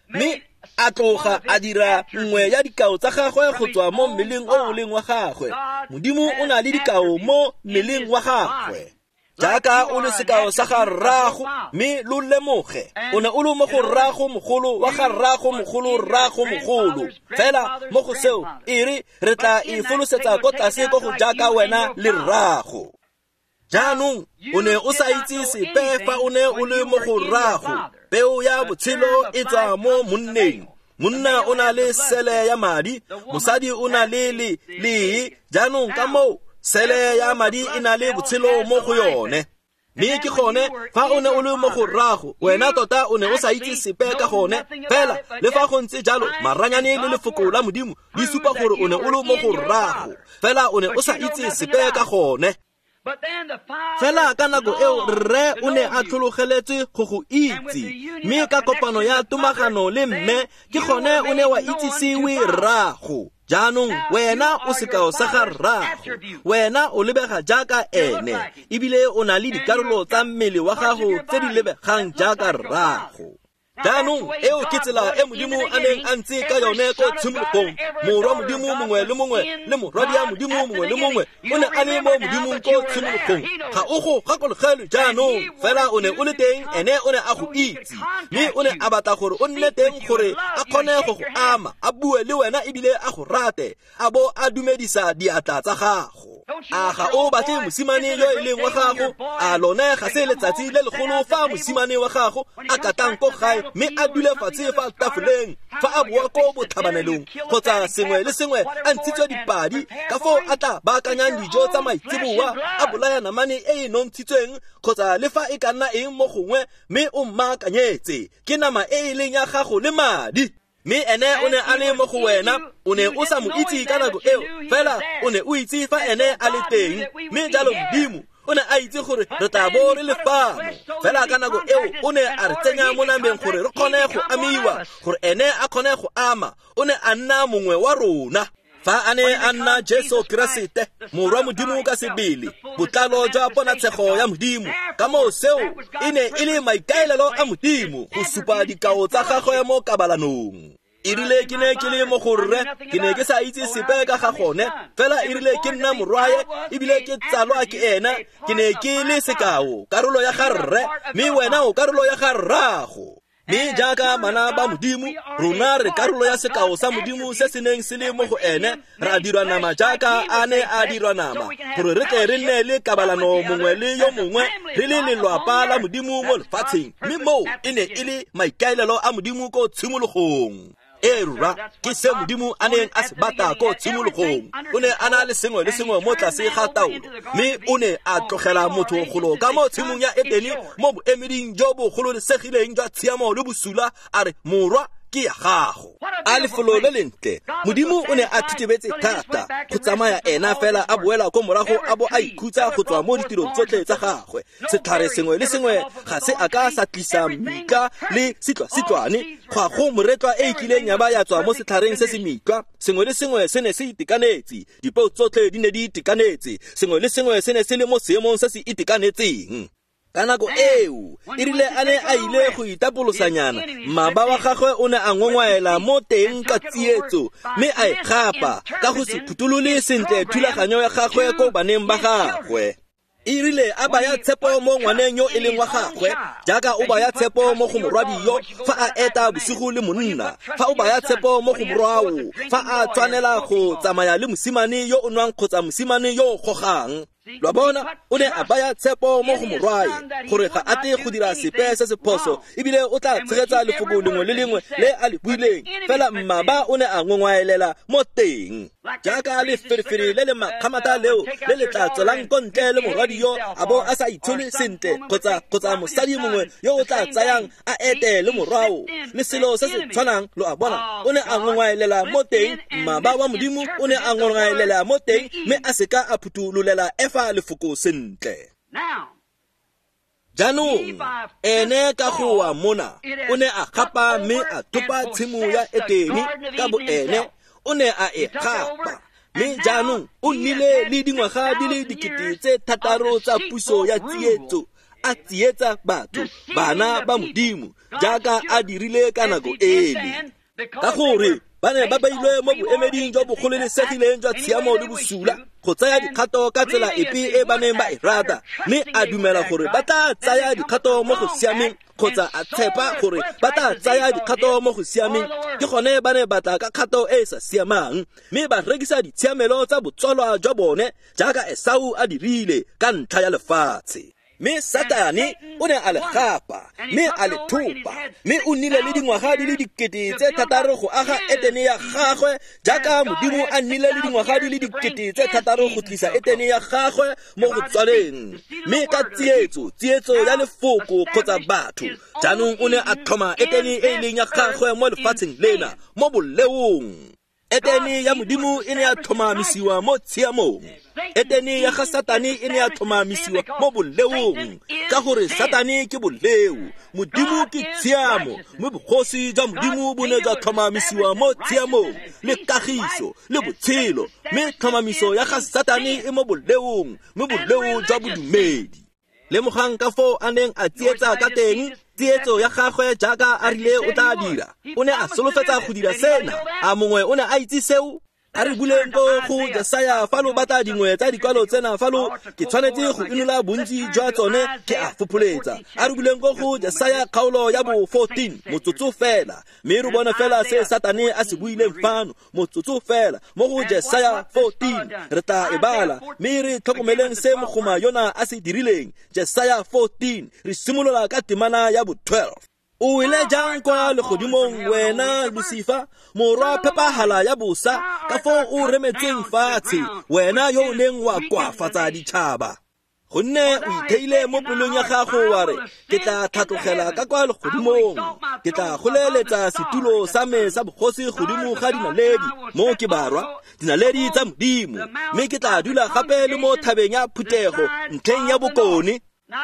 mme a tloga a dira nngwe ya dikao tsa gagwe go tswa mo mmeleng o o leng wa gagwe. Modimo o na le dikao mo mmeleng wa gagwe. Jaaka o le sekao sa ga rrago, mme lo lemoge, o ne o le mo go rrago mogolo wa ga rrago mogolo rrago mogolo. Fela mo go seo e re re tla e folosetsa ko tlase ko go jaaka wena le rrago. Jaanong o ne o sa itse sepe fa o ne o le mo go rrago. Peo ya botshelo e tswa mo monneng. Monna o na le sele ya madi, mosadi o na le le lee. Jaanong ka moo sele ya madi e na le botshelo mo go yone. Mme ke gone fa o ne o le mo go rrago, wena tota o ne o sa itse sepe ka gone. Fela le fa go ntse jalo, maranyane le lefoko la Modimo di supa gore o ne o le mo go rrago, fela o ne o sa itse sepe ka gone. Fela ka nako eo rre o ne a tlhologeletswe go go itse, mme ka kopano ya tomagano le mme ke gone o ne wa itsisiwe rrago. Jaanong wena o sekao sa ga rrago, wena o lebega jaaka ene, ebile o na le dikarolo tsa mmele wa gago tse di lebegang jaaka rrago. Jaanong eo ke tsela e Modimo a neng a ntse ka yone ko tshimologong. Morwa Modimo mongwe le mongwe le morwadia Modimo mongwe le mongwe o ne a le mo Modimong ko tshimologong. Ga o go gakologelwe jaanong, fela o ne o le teng, ene o ne a go itse, mme o ne a batla gore o nne teng gore a kgone go go ama, a bue le wena ebile a go rate, a bo a dumedisa diatla tsa gago. A ga o batle mosimane yo e leng wa gago? A lone ga se letsatsi le legolo fa mosimane wa gago a katang ko gae, mme a dule fatshe fa tafoleng fa a boa ko botlhabanelong kgotsa sengwe le sengwe a ntshitswe dipadi, ka foo a tla baakanyang dijo tsa maitseboa, a bolaya namane e e nontshitsweng kgotsa le fa e ka nna eng mo gongwe, mme o mmaakanyetse ke nama e e leng ya gago le madi. Mme ene o ne a le mo go wena, o ne o sa mo itse ka nako eo, fela o ne o itse fa ene a le teng. Mme jalo Modimo o ne a itse gore re tla bo re le fano, fela ka nako eo o ne a re tsenya mo nameng gore re kgone go amiwa, gore ene a kgone go ama. O ne a nna mongwe wa rona. Fa a ne a nna Jesu Keresete, morwa Modimo ka sebele, botlalo jwa ponatshego ya Modimo. Ka moo seo e ne e le maikaelelo a Modimo go supa dikao tsa gagwe mo kabalanong. E rile ke ne ke le mo go rre, ke ne ke sa itse sepe ka ga gone, fela e rile ke nna morwae ebile ke tsalwa ke ena, ke ne ke le sekao, karolo ya ga rre, mme wena o karolo ya ga rrago. Mme jaaka bana ba Modimo, rona re karolo ya sekao sa Modimo se se neng se le mo go ene, ra dirwa nama jaaka a ne a dirwa nama, gore re tle re nne le kabalano mongwe le yo mongwe, re le lelwapa la Modimo mo lefatsheng. Mme moo e ne e le maikaelelo a Modimo ko tshimologong. E rra, ke se Modimo a neng a se batla ko tshimologong. O ne a na le sengwe le sengwe mo tlase ga taolo, mme o ne a tlogela motho golo ka mo tshimong ya Etene mo boemeding jo bo gololesegileng jwa tshiamo le bosula, a re, morwa, ke ya gago. A lefelo le lentle. Modimo o ne a thitibetse thata go tsamaya ena fela a boela ko morago a bo a ikhutsa go tswa mo ditirong tsotlhe tsa gagwe. Setlhare sengwe le sengwe ga se a ka sa tlisa mitlwa le sitlwa-sitlwane, go a go moretlwa e e kileng ya ba ya tswa mo setlhareng se se mitlwa. Sengwe le sengwe se ne se itekanetse, dipeo tsotlhe di ne di itekanetse, sengwe le sengwe se ne se le mo seemong se se itekanetseng. Ka nako eo, e rile a ne a ile go itapolosanyana, mmaba wa gagwe o ne a ngongwaela mo teng ka tsietso, mme a e gapa ka go se phutholole sentle thulaganyo ya gagwe ko baneng ba gagwe. E rile a baya tshepo mo ngwaneng yo e leng wa gagwe, jaaka o baya tshepo mo go morwadi yo fa a eta bosigo le monna, fa o baya tshepo mo go morwao fa a tshwanela go tsamaya le mosimane yo o nwang kgotsa mosimane yo o gogang. Lo a bona, o ne a baya tshepo mo go morwae gore ga a tle go dira sepe se se phoso, ebile o tla tshegetsa lefoko lengwe le lengwe le a le buileng. Fela mmaba o ne a ngongwaelela mo teng, jaaka leferefere le le makgamata leo le le tla tswelang ko ntle le morwadi yo a bo a sa itshole sentle, kgotsa kgotsa mosadi mongwe yo o tla tsayang a ete le morwao le selo se se tshwanang. Lo a bona, o ne a ngongwaelela mo teng. Mmaba wa Modimo o ne a ngongwaelela mo teng, mme a seka a phuthulolela Efa lefoko sentle. Jaanong ene ka go wa mona o ne a gapa mme a thopa tshimo ya Etene ka bo ene, o ne a e gapa. Mme jaanong o nnile le dingwaga di le dikete tse thataro tsa puso ya tsietso, a tsietsa batho, bana ba Modimo, jaaka a dirile ka nako ele. Ka gore ba ne ba beilwe mo boemeding jwa bogololesegileng jwa tshiamo le bosula go tsaya dikgato ka tsela epe e ba neng ba e rata, mme a dumela gore ba tla tsaya dikgato mo go siameng, kgotsa a tshepa gore ba tla tsaya dikgato mo go siameng. Ke gone ba ne ba tla ka kgato e e sa siamang, mme ba rekisa ditshiamelo tsa botsalwa jwa bone jaaka Esau a dirile ka ntlha ya lefatshe. Mme Satane o ne a le gapa, mme a le thopa, mme o nnile le dingwaga di le dikete tse thataro go aga Etene ya gagwe, jaaka Modimo a nnile le dingwaga di le dikete tse thataro go tlisa Etene ya gagwe mo go tswaleng. Mme ka tsietso, tsietso ya lefoko kgotsa batho, jaanong o ne a tlhoma Etene e e leng ya gagwe mo lefatsheng lena, mo boleong. Etene ya Modimo e ne ya tlhomamisiwa mo tshiamong. Etene ya ga Satane e ne ya tlhomamisiwa mo boleong, ka gore Satane ke boleo, Modimo ke tshiamo. Mme bogosi jwa Modimo bo ne jwa tlhomamisiwa mo tshiamong le kagiso le botshelo, mme tlhomamiso ya ga Satane e mo boleong, mme boleo jwa bodumedi. Lemogang ka foo a neng a tsietsa ka teng, tsietso ya gagwe jaaka a rile o tla dira. O ne a solofetsa go dira sena. A mongwe o ne a itse seo? A re buleng ko go Jesaya fa lo batla dingwe tsa dikwalo tsena, fa lo ke tshwanetse go inola bontsi jwa tsone ke a fopholetsa. A re buleng ko go Jesaya kgaolo ya bo fourteen, motsotso fela, mme re bone fela se Satane a se buileng fano, motsotso fela mo go Jesaya fourteen. Re tla e bala mme re tlhokomeleng se mogoma yona a se dirileng. Jesaya fourteen, re simolola ka temana ya bo twelve. O wele jang kwa legodimong wena Lucifer, morwa phepahala ya bosa, ka foo o remetseng fatshe, wena yo o neng wa koafatsa ditšhaba. Gonne o itheile mo pelong ya gago wa re, ke tla tlhatlogela ka kwa legodimong, ke tla goleletsa setulo sa me sa bogosi godimo ga dinaledi, mo ke barwa, dinaledi tsa Modimo, mme ke tla dula gape le mo thabeng ya phuthego ntlheng ya bokone.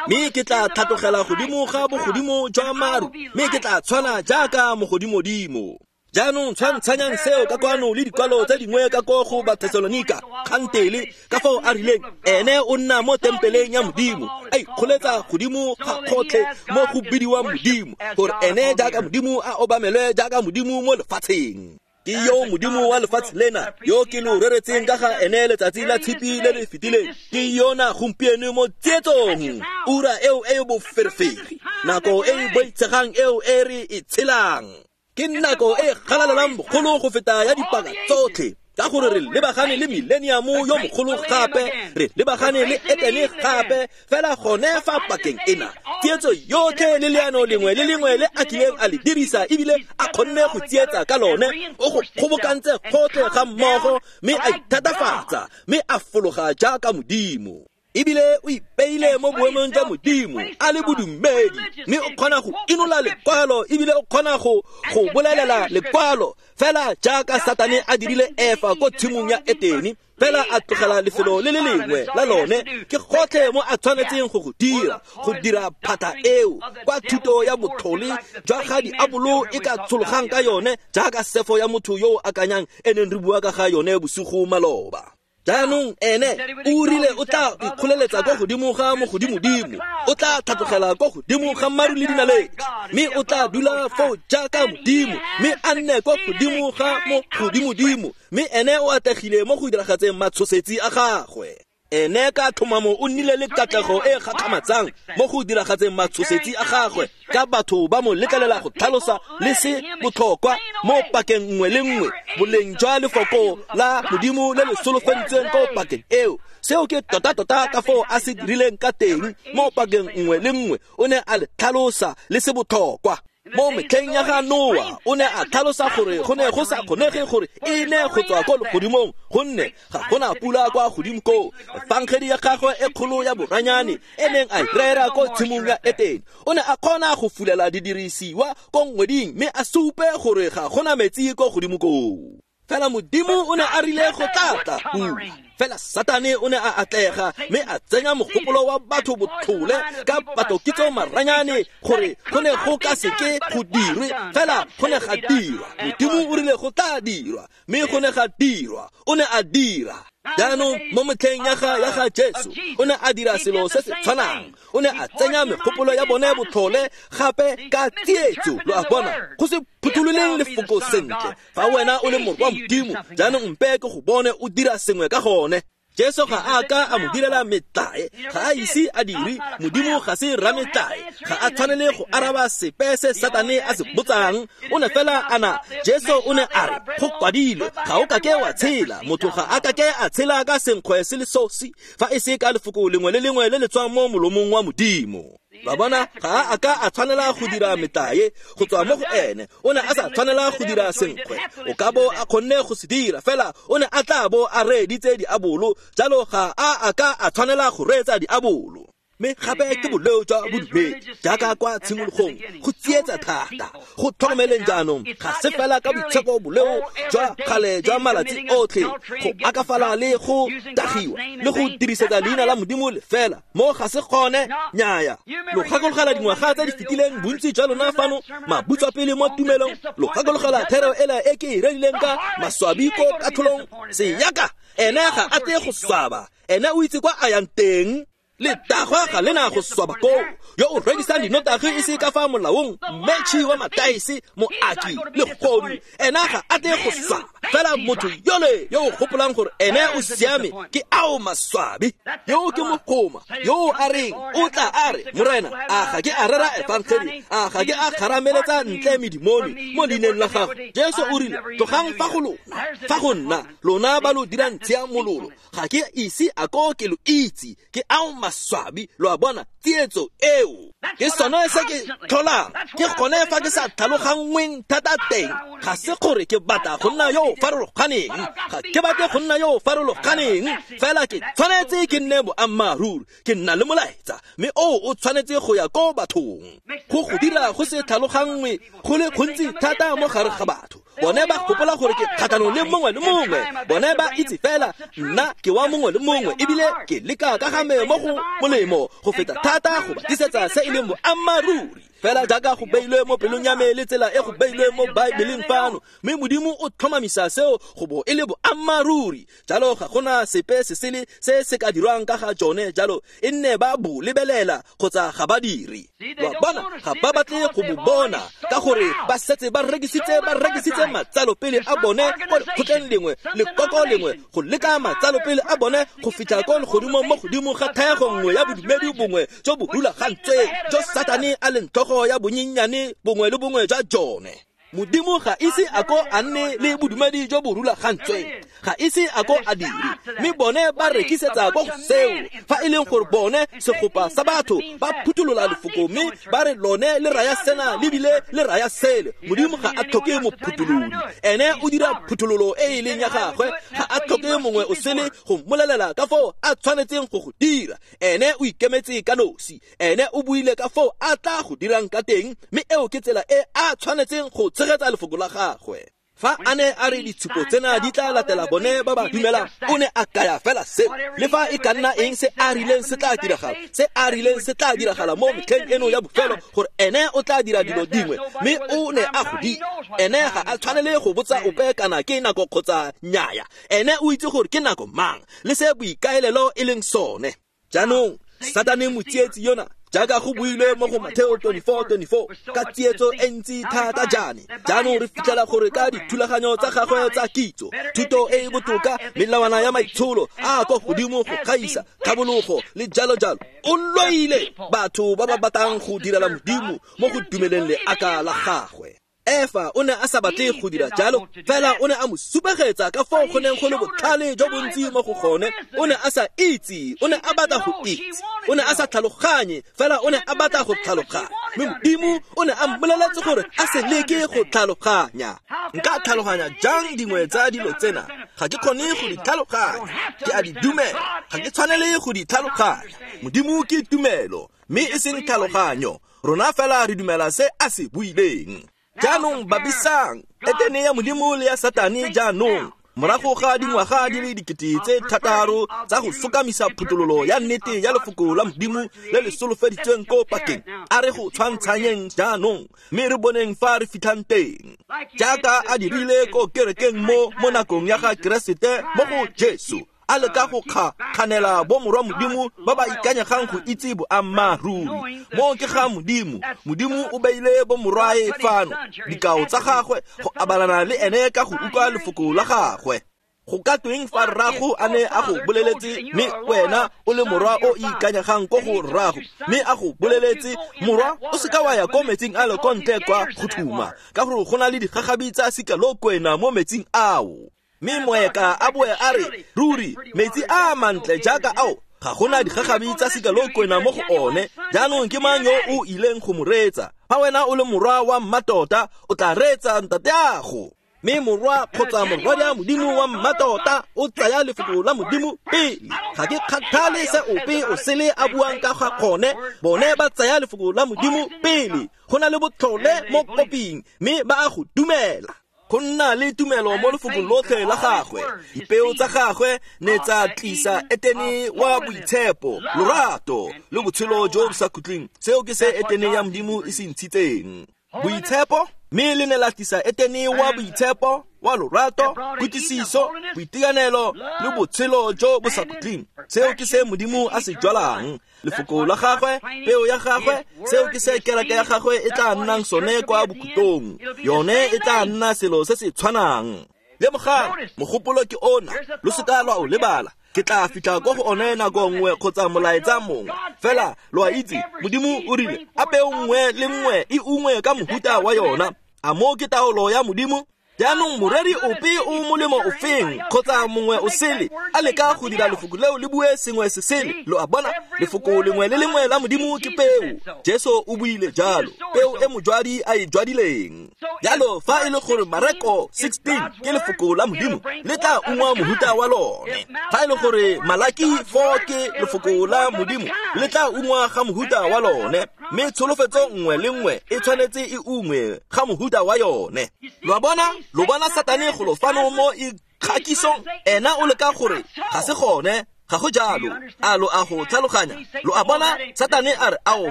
Mme ke tla tlhatlogela godimo ga bogodimo jwa maru, mme ke tla tshwana jaaka mogodimodimo. Jaanong tshwantshanyang seo ka kwano le dikwalo tse dingwe ka ko go Bathesalonika kgantele, ka foo a rileng ene o nna mo tempeleng ya Modimo, a ikgoletsa godimo ga kgotlhe mo go bidiwang Modimo, gore ene jaaka Modimo a obamelwe jaaka Modimo mo lefatsheng. Ke yo Modimo wa lefatshe lena, yo ke lo reretseng ka ga ene letsatsi la tshipi le le fetileng, ke yona gompieno mo tsietsong, ura eo e boferefere, nako e e boitshegang eo e re e tshelang. Ke nako e galalelang bogolo go feta ya dipaka tsotlhe, ka gore re lebagane le millennium yo mogolo gape, re lebagane le Etene gape, fela gone fa pakeng ena. Tsietso yotlhe le leano lengwe le lengwe le a kileng a le dirisa ebile a kgonne go tsietsa ka lone, o go kgobokantse gotlhe ga mmogo, mme a ithatafatsa, mme a fologa jaaka Modimo. Ebile o ipeile mo boemong jwa Modimo a le bodumedi, mme o kgona go inola lekwalo ebile o kgona go go bolelela lekwalo fela jaaka Satane a dirile Efa ko tshimong ya Etene, fela a tlogela lefelo le le lengwe la lone. Ke gotlhe mo a tshwanetseng go go dira, go dira phata eo kwa thuto ya botlhole jwa ga diabolo e ka tshologang ka yone, jaaka sefo ya motho yo o akanyang e neng re bua ka ga yone bosigo maloba. Jaanong ene o rile o tla ikgoleletsa kwa godimo ga mogodimodimo, o tla tlhatlogela kwa godimo ga maru le dinaledi, mme o tla dula foo jaaka Modimo, mme a nne kwa godimo ga mogodimodimo, mme ene o atlegile mo go diragatseng matshosetsi a gagwe. Ene ka tlhomamo o nnile le katlego e gakgamatsang mo go diragatseng matshosetsi a gagwe, ka batho ba mo letlelela go tlhalosa le se botlhokwa mo pakeng nngwe le nngwe boleng jwa lefoko la Modimo le le solofeditsweng ko pakeng eo. Seo ke tota-tota ka foo a se dirileng ka teng mo pakeng nngwe le nngwe, o ne a le tlhalosa le se botlhokwa. Mo metlheng ya ga Noa o ne a tlhalosa gore go ne go sa kgonege gore e ne go tswa ko legodimong, gonne ga gona pula kwa godimo koo. Efangedi ya gagwe e kgolo ya boranyane e neng a e rera ko tshimong ya Etene, o ne a kgona go fulela didirisiwa ko ngweding mme a supe gore ga gona metsi ko godimo koo. Fela Modimo o ne a rile go tla pula, fela Satane o ne a atlega mme a tsenya mogopolo wa batho botlhole ka patokitso maranyane gore go ne go ka seke go dirwe, fela go ne ga dirwa. Modimo o rile go tla dirwa, mme go ne ga dirwa. O ne a dira. Jaanong mo metlheng ya ga ya ga Jesu o ne a dira selo se se tshwanang, o ne a tsenya megopolo ya bone botlhole gape ka tsietso. Lo a bona, go se phuthololeng lefoko sentle. Fa wena o le morwa Modimo, jaanong mpe ke go bone o dira sengwe ka gone. Jesu ga a ka a mo direla metlae, ga a ise a dire. Modimo ga se rametlae, ga a tshwanele go araba sepe se Satane a se botsang. O ne fela ana Jesu o ne a re go kwadilwe, ga o kake wa tshela, motho ga a kake a tshela ka senkgwe se le sosi fa e se ka lefoko lengwe le lengwe le le tswang mo molomong wa Modimo. Ba bona, ga a ka a tshwanela go dira metlae go tswa mo go ene. O ne a sa tshwanela go dira senkgwe, o ka bo a kgonne go se dira, fela o ne a tla bo a reeditse diabolo, jalo ga a a ka a tshwanela go reetsa diabolo. Mme gape ke boleo jwa bodumedi jaaka kwa tshimologong, go tsietsa thata. Go tlhokomeleng jaanong, ga se fela ka boitshepo boleo jwa kgale jwa malatsi otlhe, go akafala le go tagiwa le go dirisetsa leina la Modimo lefela mo ga se gone. Nnyaya, lo gakologela dingwaga tse di fetileng, bontsi jwa lona fano mabutswapele mo tumelong, lo gakologela thero ela e ke e rerileng ka maswabi ko katlholong. Seyaka ene ga a tle go swaba, ene o itse kwa a yang teng. Letagwa ga lena go swaba koo, yo o rekisang dinotagi e se ka fa molaong, mmetšhi wa mataese, moaki le godu, ena ga a tle go swaba. Fela motho yole yo o gopolang gore ene o siame ke ao maswabi. Yo ke mogoma yo a reng o tla a re, Morena, a ga ke a rera efangedi, a ga ke a kgarameletsa ntle medimoni mo leineng la gago? Jesu o rile, tlogang fa go lona, fa go nna, lona ba lo dirang tshiamololo, ga ke ise a ko ke lo itse. Ke ao maswabi. Lo a bona tsietso eo? Ke sone se ke tlholang, ke gone fa ke sa tlhaloganngweng thata teng. Ga se gore ke batla go nna yo o farologaneng, ga ke batle go nna yo o farologaneng, fela ke tshwanetse ke nne boammaaruri, ke nna le molaetsa, mme oo o tshwanetse go ya ko bathong. Go go dira go se tlhaloganngwe go le gontsi thata mo gare ga batho. Bone ba gopola gore ke kgatlhanong le mongwe le mongwe, bone ba itse fela nna ke wa mongwe le mongwe, ebile ke leka ka ga me mo go molemo go feta thata go ba tlisetsa se e leng boammaaruri, fela jaaka go beilwe mo pelong ya me le tsela e go beilwe mo Baebeleng fano. Mme Modimo o tlhomamisa seo go bo e le boammaaruri. Jalo ga gona sepe se sele se se ka dirwang ka ga jone, jalo e nne ba bo lebelela kgotsa ga ba dire. Ba bona ga ba batle go bo bona, ka gore ba setse ba rekisitse ba rekisitse matsalopele a bone ko lekgotleng lengwe, lekoko lengwe, go leka matsalopele a bone go fitlha ko legodimong mo godimo ga thaego nngwe ya bodumedi bongwe jo bo rulagantsweng, jo Satane a leng tlhogo ya bonyenyane bongwe le bongwe jwa jone. Modimo ga ise a ko a nne le bodumedi jo bo rulagantsweng, ga ise a ko a dire, mme bone ba rekisetsa ko go seo. Fa e leng gore bone segopa sa batho ba phuthulola lefoko mme ba re lone le raya sena le bile le raya sele, Modimo ga a tlhoke mophutholodi. Ene o dira phuthololo e e leng ya gagwe, ga a tlhoke mongwe o sele go mmolelela ka foo a tshwanetseng go go dira. Ene o ikemetse ka nosi, ene o buile ka foo a tla go dirang ka teng, mme eo ke tsela e a tshwanetseng go tshegetsa lefoko la gagwe. Fa a ne a re ditshupo tsena di tla latela bone ba ba dumelang, o ne a kaya fela seo. Le fa e ka nna eng se a rileng se tla diragala, se a rileng se tla diragala mo metlheng eno ya bofelo, gore ene o tla dira dilo dingwe, mme o ne a go dira. Ene ga a tshwanele go botsa ope kana ke nako kgotsa nnyaya, ene o itse gore ke nako mang le se boikaelelo e leng sone. Jaanong Satane motsietsi yona, jaaka go builwe mo go Mateo twenty-four twenty-four, ka tsietso e ntsi thata jaane. Jaanong re fitlhela gore ka dithulaganyo tsa gagwe tsa kitso, thuto e e botoka, melawana ya maitsholo a a kwa godimo go gaisa, tlhabologo le jalo jalo, o loile batho ba ba batlang go direla Modimo mo go dumeleng leaka la gagwe. Efa o ne a sa batle go dira jalo, fela o ne a mo supegetsa ka foo go neng go le botlhale jo bontsi mo go gone. O ne a sa itse, o ne a batla go itse, o ne a sa tlhaloganye, fela o ne a batla go tlhaloganya. Mme Modimo o ne a mmoleletse gore a se leke go tlhaloganya. Nka tlhaloganya jang dingwe tsa dilo tsena? Ga ke kgone go di tlhaloganya, ke a di dumela, ga ke tshwanele go di tlhaloganya. Modimo ke tumelo, mme e seng tlhaloganyo. Rona fela re dumela se a se buileng. Jaanong babisang Etene ya Modimo le ya Satane jaanong, morago ga dingwaga di le dikete tse thataro tsa go sokamisa phuthololo ya nnete ya lefoko la Modimo le le solofeditsweng ko pakeng, a re go tshwantshanyeng jaanong, mme re boneng fa re fitlhang teng. Jaaka a dirile ko kerekeng mo mo nakong ya ga Keresete mo go Jesu, a leka go kganela bomorwa Modimo ba ba ikanyegang go itse boammaaruri. Mo ke ga Modimo, Modimo o beile bomorwae fano, dikao tsa gagwe, go abalana le ene ka go utlwa lefoko la gagwe. Go ka tweng fa rrago a ne a go boleletse, mme wena o le morwa o ikanyegang ko go rrago, mme a go boleletse, morwa o seka wa ya ko metsing a le ko ntle kwa go thuma, ka gore go na le digagabi tsa sikalokwena mo metsing ao. Mme moeka a boe a re, ruri metsi a mantle jaaka ao, ga gona digagabi tsa sikalokwena mo go one. Jaanong ke mang yo o ileng go mo reetsa? Fa wena o le morwa wa mmatota, o tla reetsa ntateago. Mme morwa kgotsa morwadia Modimo wa mmatota o tsaya lefoko la Modimo pele. Ga ke kgathale se ope o sele a buang ka ga gone, bone ba tsaya lefoko la Modimo pele. Go na le botlhole mo koping, mme ba a go dumela. Go nna le tumelo mo lefokong lotlhe la gagwe. Dipeo tsa gagwe ne tsa tlisa Etene wa boitshepo, lorato le botshelo jo bo sa khutleng. Seo ke se Etene ya Modimo e se ntshitseng. Boitshepo, mme le ne la tlisa Etene wa boitshepo, wa lorato, kutlwisiso, boitekanelo le botshelo jo bo sa khutleng. Seo ke se Modimo a se jwalang. Lefoko la gagwe, peo ya gagwe, seo ke se kereke ya gagwe e tla nnang sone kwa bokhutlong. Yone e tla nna selo se se tshwanang. Lemogang, mogopolo ke ona, lo seka lwa o lebala. Ke tla fitlha ko go one nako nngwe kgotsa molaetsa mongwe. Fela lo a itse, Modimo o rile, a peo nngwe le nngwe e ungwe ka mohuta wa yona. A mo ke taolo ya Modimo? Jaanong moreri ope o molemo ofeng kgotsa mongwe o sele a leka go dira lefoko leo le bue sengwe se sele. Lo a bona, lefoko lengwe le lengwe la Modimo ke peo. Jesu o buile jalo, peo e mojwadi a e jwadileng. Jalo fa e le gore Mareko sixteen ke lefoko la Modimo, le tla ungwa mohuta wa lone. Fa e le gore Malaki four ke lefoko la Modimo, le tla ungwa ga mohuta wa lone. Mme tsholofetso nngwe le nngwe e tshwanetse e ungwe ga mohuta wa yone. Lo a bona? Lo bona Satane go lo fano mo ikgakisong, ena o leka gore ga se gone, ga go jalo. A lo a go tlhaloganya? Lo a bona Satane a re, ao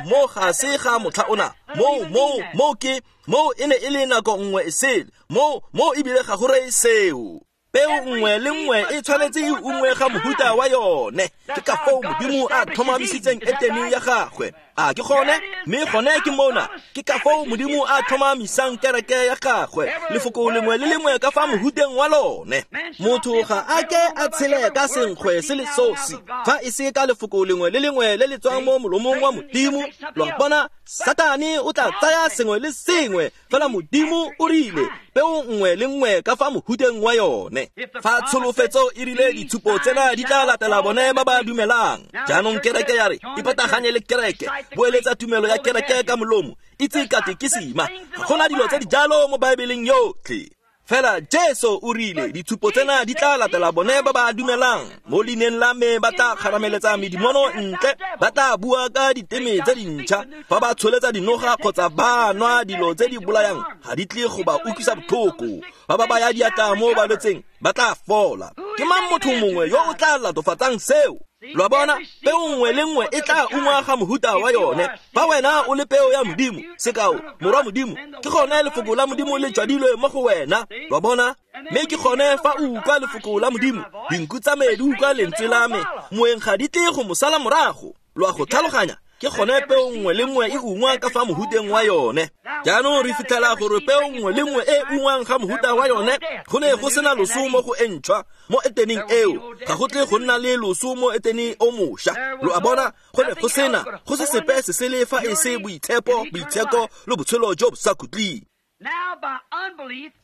mo ga se ga motlha ona, mo mo mo ke mo e ne e le nako nngwe e sele, mo mo ebile ga go reye seo. Peo nngwe le nngwe e tshwanetse e ungwe ga mohuta wa yone. Ke ka foo Modimo a tlhomamisitseng Etene ya gagwe. A ke gone? Mme gone ke mona. Ke ka foo Modimo a tlhomamisang kereke ya gagwe, lefoko lengwe le lengwe ka fa mohuteng wa lone. Motho ga a ke a tshele ka senkgwe se le sosi, fa e se ka lefoko lengwe le lengwe le le tswang mo molomong wa Modimo. Lo a bona, Satane o tla tsaya sengwe le sengwe, fela Modimo o rile peo nngwe le nngwe ka fa mohuteng wa yone. Fa tsholofetso e rile ditshupo tsena di tla latela bone ba ba dumelang. Jaanong kereke ya re ipataganye le kereke, boeletsa tumelo ya kereke ka molomo, itse katekisima. Ga gona dilo tse di jalo mo Baebeleng yotlhe. Fela Jesu o rile ditshupo tsena di tla latela bone ba ba dumelang. Mo leineng la me ba tla kgarameletsa medimono ntle, ba tla bua ka diteme tse dintšha. Fa ba tsholetsa dinoga kgotsa ba nwa dilo tse di bolayang, ga di tle go ba utlwisa botlhoko. Ba ba baya diatla mo balwetseng, ba tla fola. Ke mang motho mongwe yo o tla latofatsang seo? Lo a bona, peo nngwe le nngwe e tla ungwa ga mohuta wa yone. Fa wena o le peo ya Modimo, sekao, morwa Modimo, ke gone lefoko la Modimo le jwadilwe mo go wena. Lo a bona? Mme ke gone fa o utlwa lefoko la Modimo, dinku tsa me di utlwa lentswe la me, moeng ga di tle go mo sala morago. Lo a go tlhaloganya? Ke gone peo nngwe le nngwe e ungwa ka fa mohuteng wa yone. Jaanong re fitlhela gore peo nngwe le nngwe e ungwang ga mohuta wa yone, go ne go sena loso mo go e ntšhwa mo Eteneng eo. Ga go tle go nna le loso mo Eteneng o mošwa. Lo a bona, go ne go sena, go se sepe se sele fa e se boitshepo, boitsheko le botshelo jo bo sa khutleng.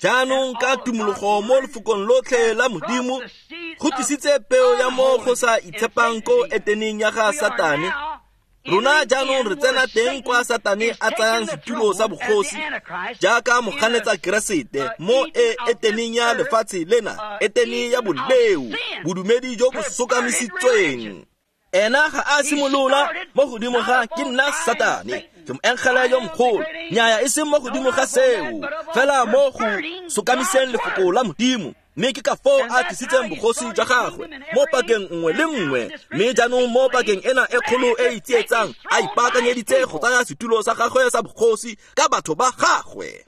Jaanong ka tumologo mo lefokong lotlhe la Modimo, go tlisitse peo ya mo go sa itshepang ko Eteneng ya ga Satane. Rona jaanong re tsena teng kwa Satane a tsayang setulo sa bogosi jaaka moganetsa Keresete mo e Eteneng ya lefatshe lena, Etene ya boleo, bodumedi jo bo sokamisitsweng. Ena ga a simolola mo godimo ga ke nna Satane, ke moengele yo mogolo. Nnyaya, e seng mo godimo ga seo, fela mo go sokamiseng lefoko la Modimo. Mme ke ka foo a tlisitseng bogosi jwa gagwe mo pakeng nngwe le nngwe. Mme jaanong mo pakeng ena e kgolo e e tsietsang, a ipaakanyeditse go tsaya setulo sa gagwe sa bogosi ka batho ba gagwe.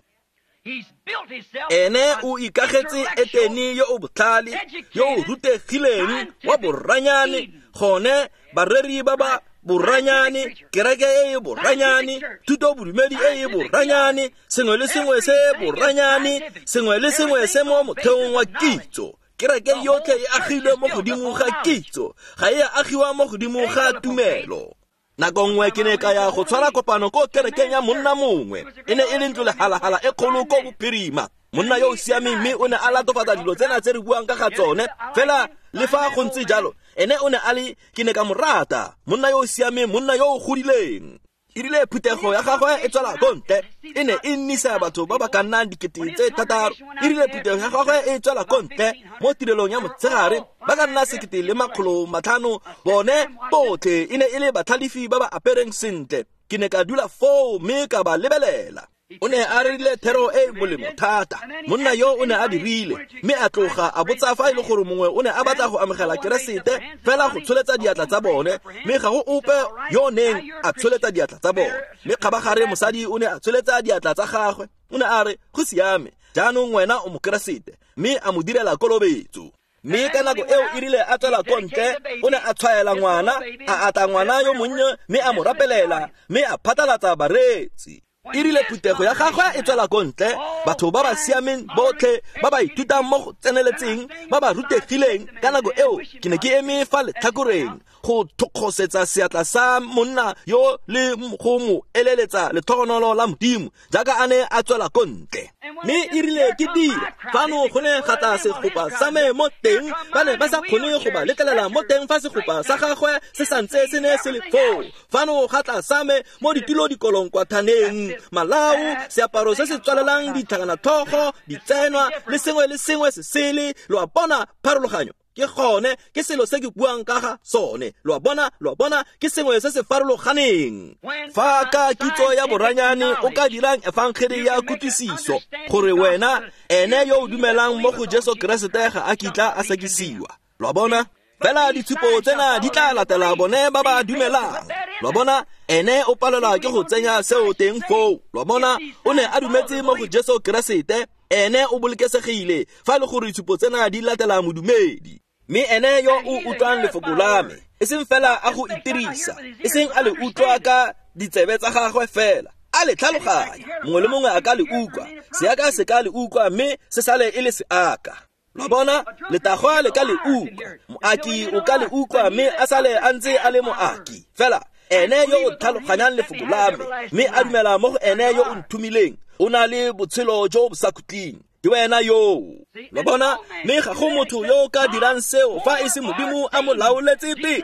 Ene o ikagetse Etene yo o botlhale, yo o rutegileng, wa boranyane, gone bareri ba ba boranyane, kereke e e boranyane, thuto bodumedi e e boranyane, sengwe le sengwe se boranyane, sengwe le sengwe se mo motheong wa kitso. Kereke yotlhe e agilwe mo godimo ga kitso, ga e a agiwa mo godimo ga tumelo. Nako nngwe ke ne ka ya go tshwara kopano ko kerekeng ya monna mongwe. E ne e le ntlo lehalahala e kgolo ko bophirima. Monna yo o siameng, mme o ne a latofatsa dilo tsena tse re buang ka ga tsone. Fela le fa go ntse jalo, ene o ne a le, ke ne ka mo rata, monna yo o siameng, monna yo o godileng. E rile phuthego ya gagwe e tswela ko ntle, e ne e nnisa batho ba ba ka nnang dikete tse thataro. E rile phuthego ya gagwe e tswela ko ntle mo tirelong ya motshegare, ba ka nna sekete le makgolo matlhano. Bone botlhe e ne e le batlhalefi ba ba apereng sentle. Ke ne ka dula foo mme ka ba lebelela. O ne a rerile thero e molemo thata. Monna yo o ne a dirile, mme a tloga a botsa fa e le gore mongwe o ne a batla go amogela Keresete fela go tsholetsa diatla tsa bone, mme ga go ope yo neng a tsholetsa diatla tsa bone. Mme kgabagare mosadi o ne a tsholetsa diatla tsa gagwe. O ne a re, go siame, jaanong wena o Mokeresete, mme a mo direla kolobetso. Mme ka nako eo e rile a tswela ko ntle, o ne a tshwaela ngwana, a atla ngwana yo monnye, mme a mo rapelela, mme a phatlalatsa bareetsi. E rile phuthego ya gagwe e tswela ko ntle, batho ba ba siameng botlhe, ba ba ithutang mo go tseneletseng, ba ba rutegileng. Ka nako eo ke ne ke eme fa letlhakoreng go thokgosetsa seatla sa monna yo le go mo eleletsa letlhogonolo la Modimo jaaka a ne a tswela ko ntle. Mme e rile ke dira fano, go ne ga tla segopa sa me mo teng. Ba ne ba sa kgone go ba letlelela mo teng fa segopa sa gagwe se santse se ne se le foo. Fano ga tla sa me mo ditilo dikolong kwa thaneng, malao, seaparo se se tswalelang ditlhakanatlhogo, ditsenwa le sengwe le sengwe se sele. Lo a bona pharologanyo? Ke gone, ke selo se ke buang ka ga sone. Lo a bona, lo a bona, ke sengwe se se farologaneng. Fa ka kitso ya boranyane o ka dirang efangele ya kutlwisiso, gore wena ene yo o dumelang mo go Jesu Keresete ga a kitla a sekisiwa. Lo a bona? Fela ditshupo tsena di tla latela bone ba ba dumelang. Lo a bona, ene o palelwa ke go tsenya seo teng foo. Lo a bona, o ne a dumetse mo go Jesu Keresete, Ene o bolokesegile fa le gore ditshupo tsena di latela modumedi. Mme ene yo o utlwang lefoko la me, e seng fela a go itirisa, e seng a le utlwa ka ditsebe tsa gagwe fela, a le tlhaloganya. Mongwe le mongwe a ka le utlwa, seaka se ka le utlwa mme se sale e le seaka. Lo bona, letagwa le ka le utlwa, moaki o ka le utlwa mme a sale a ntse a le moaki. Fela ene yo o tlhaloganyang lefoko la me mme a dumela mo go ene yo o nthomileng, o na le botshelo jo bo sa khutleng. Ke wena yo. Lo bona, mme ga go motho yo o ka dirang seo fa e se Modimo a mo laoletse pele.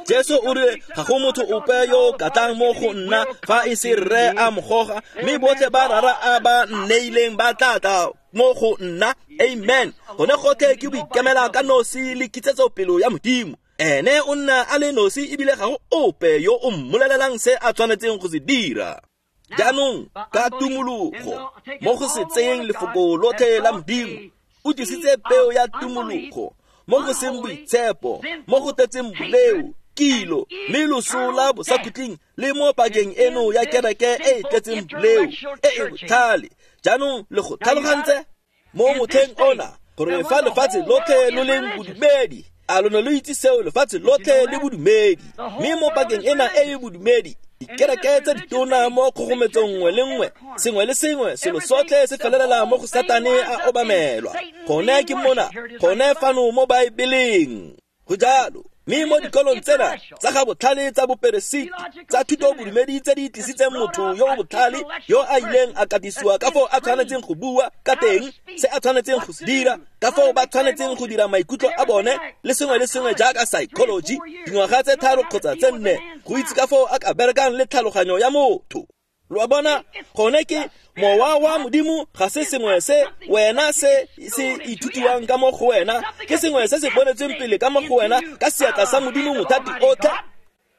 Jesu o rile ga go motho ope yo o ka tlang mo go nna fa e se Rre a mo goga, mme botlhe ba Rara a ba nneileng ba tla tla mo go nna. Amen. Gone gotlhe ke boikemela ka nosi le kitsetsopelo ya Modimo. Ene o nna a le nosi ebile ga go ope yo o mmolelelang se a tshwanetseng go se dira. Jaanong ka tumologo mo go se tseyeng lefoko lotlhe la Modimo, o tlisitse peo ya tumologo mo go seng boitshepo, mo go tletseng boleo, kilo, mme loso la bosakhutleng le mo pakeng eno ya kereke e e tletseng boleo, e e botlhale. Jaanong le go tlhalogantse mo motlheng ona gore fa lefatshe lotlhe lo leng bodumedi, a lo ne lo itse seo, lefatshe lotlhe le bodumedi, mme mo pakeng ena e e bodumedi, dikereke tse ditona mo kgogometsong nngwe le nngwe, sengwe le sengwe, selo sotlhe se felelela mo go Satane a obamelwa. Gone ke mona, gone fano mo Baebeleng. Go jalo. Mme mo dikolong tsena tsa ga botlhale tsa boperesiti, tsa thuto bodumedi tse di tlisitseng motho yo o botlhale, yo a ileng a katisiwa ka foo a tshwanetseng go bua ka teng, se a tshwanetseng go se dira, ka foo ba tshwanetseng go dira maikutlo a bone, le sengwe le sengwe jaaka psychology, dingwaga tse tharo kgotsa tse nne, go itse ka foo a ka berekang le tlhaloganyo ya motho. Lo a bona, gone ke mowa wa Modimo ga se sengwe se wena se se ithutiwang ka mo go wena, ke sengwe se se bonetsweng pele ka mo go wena ka seatla sa Modimo mothati otlhe.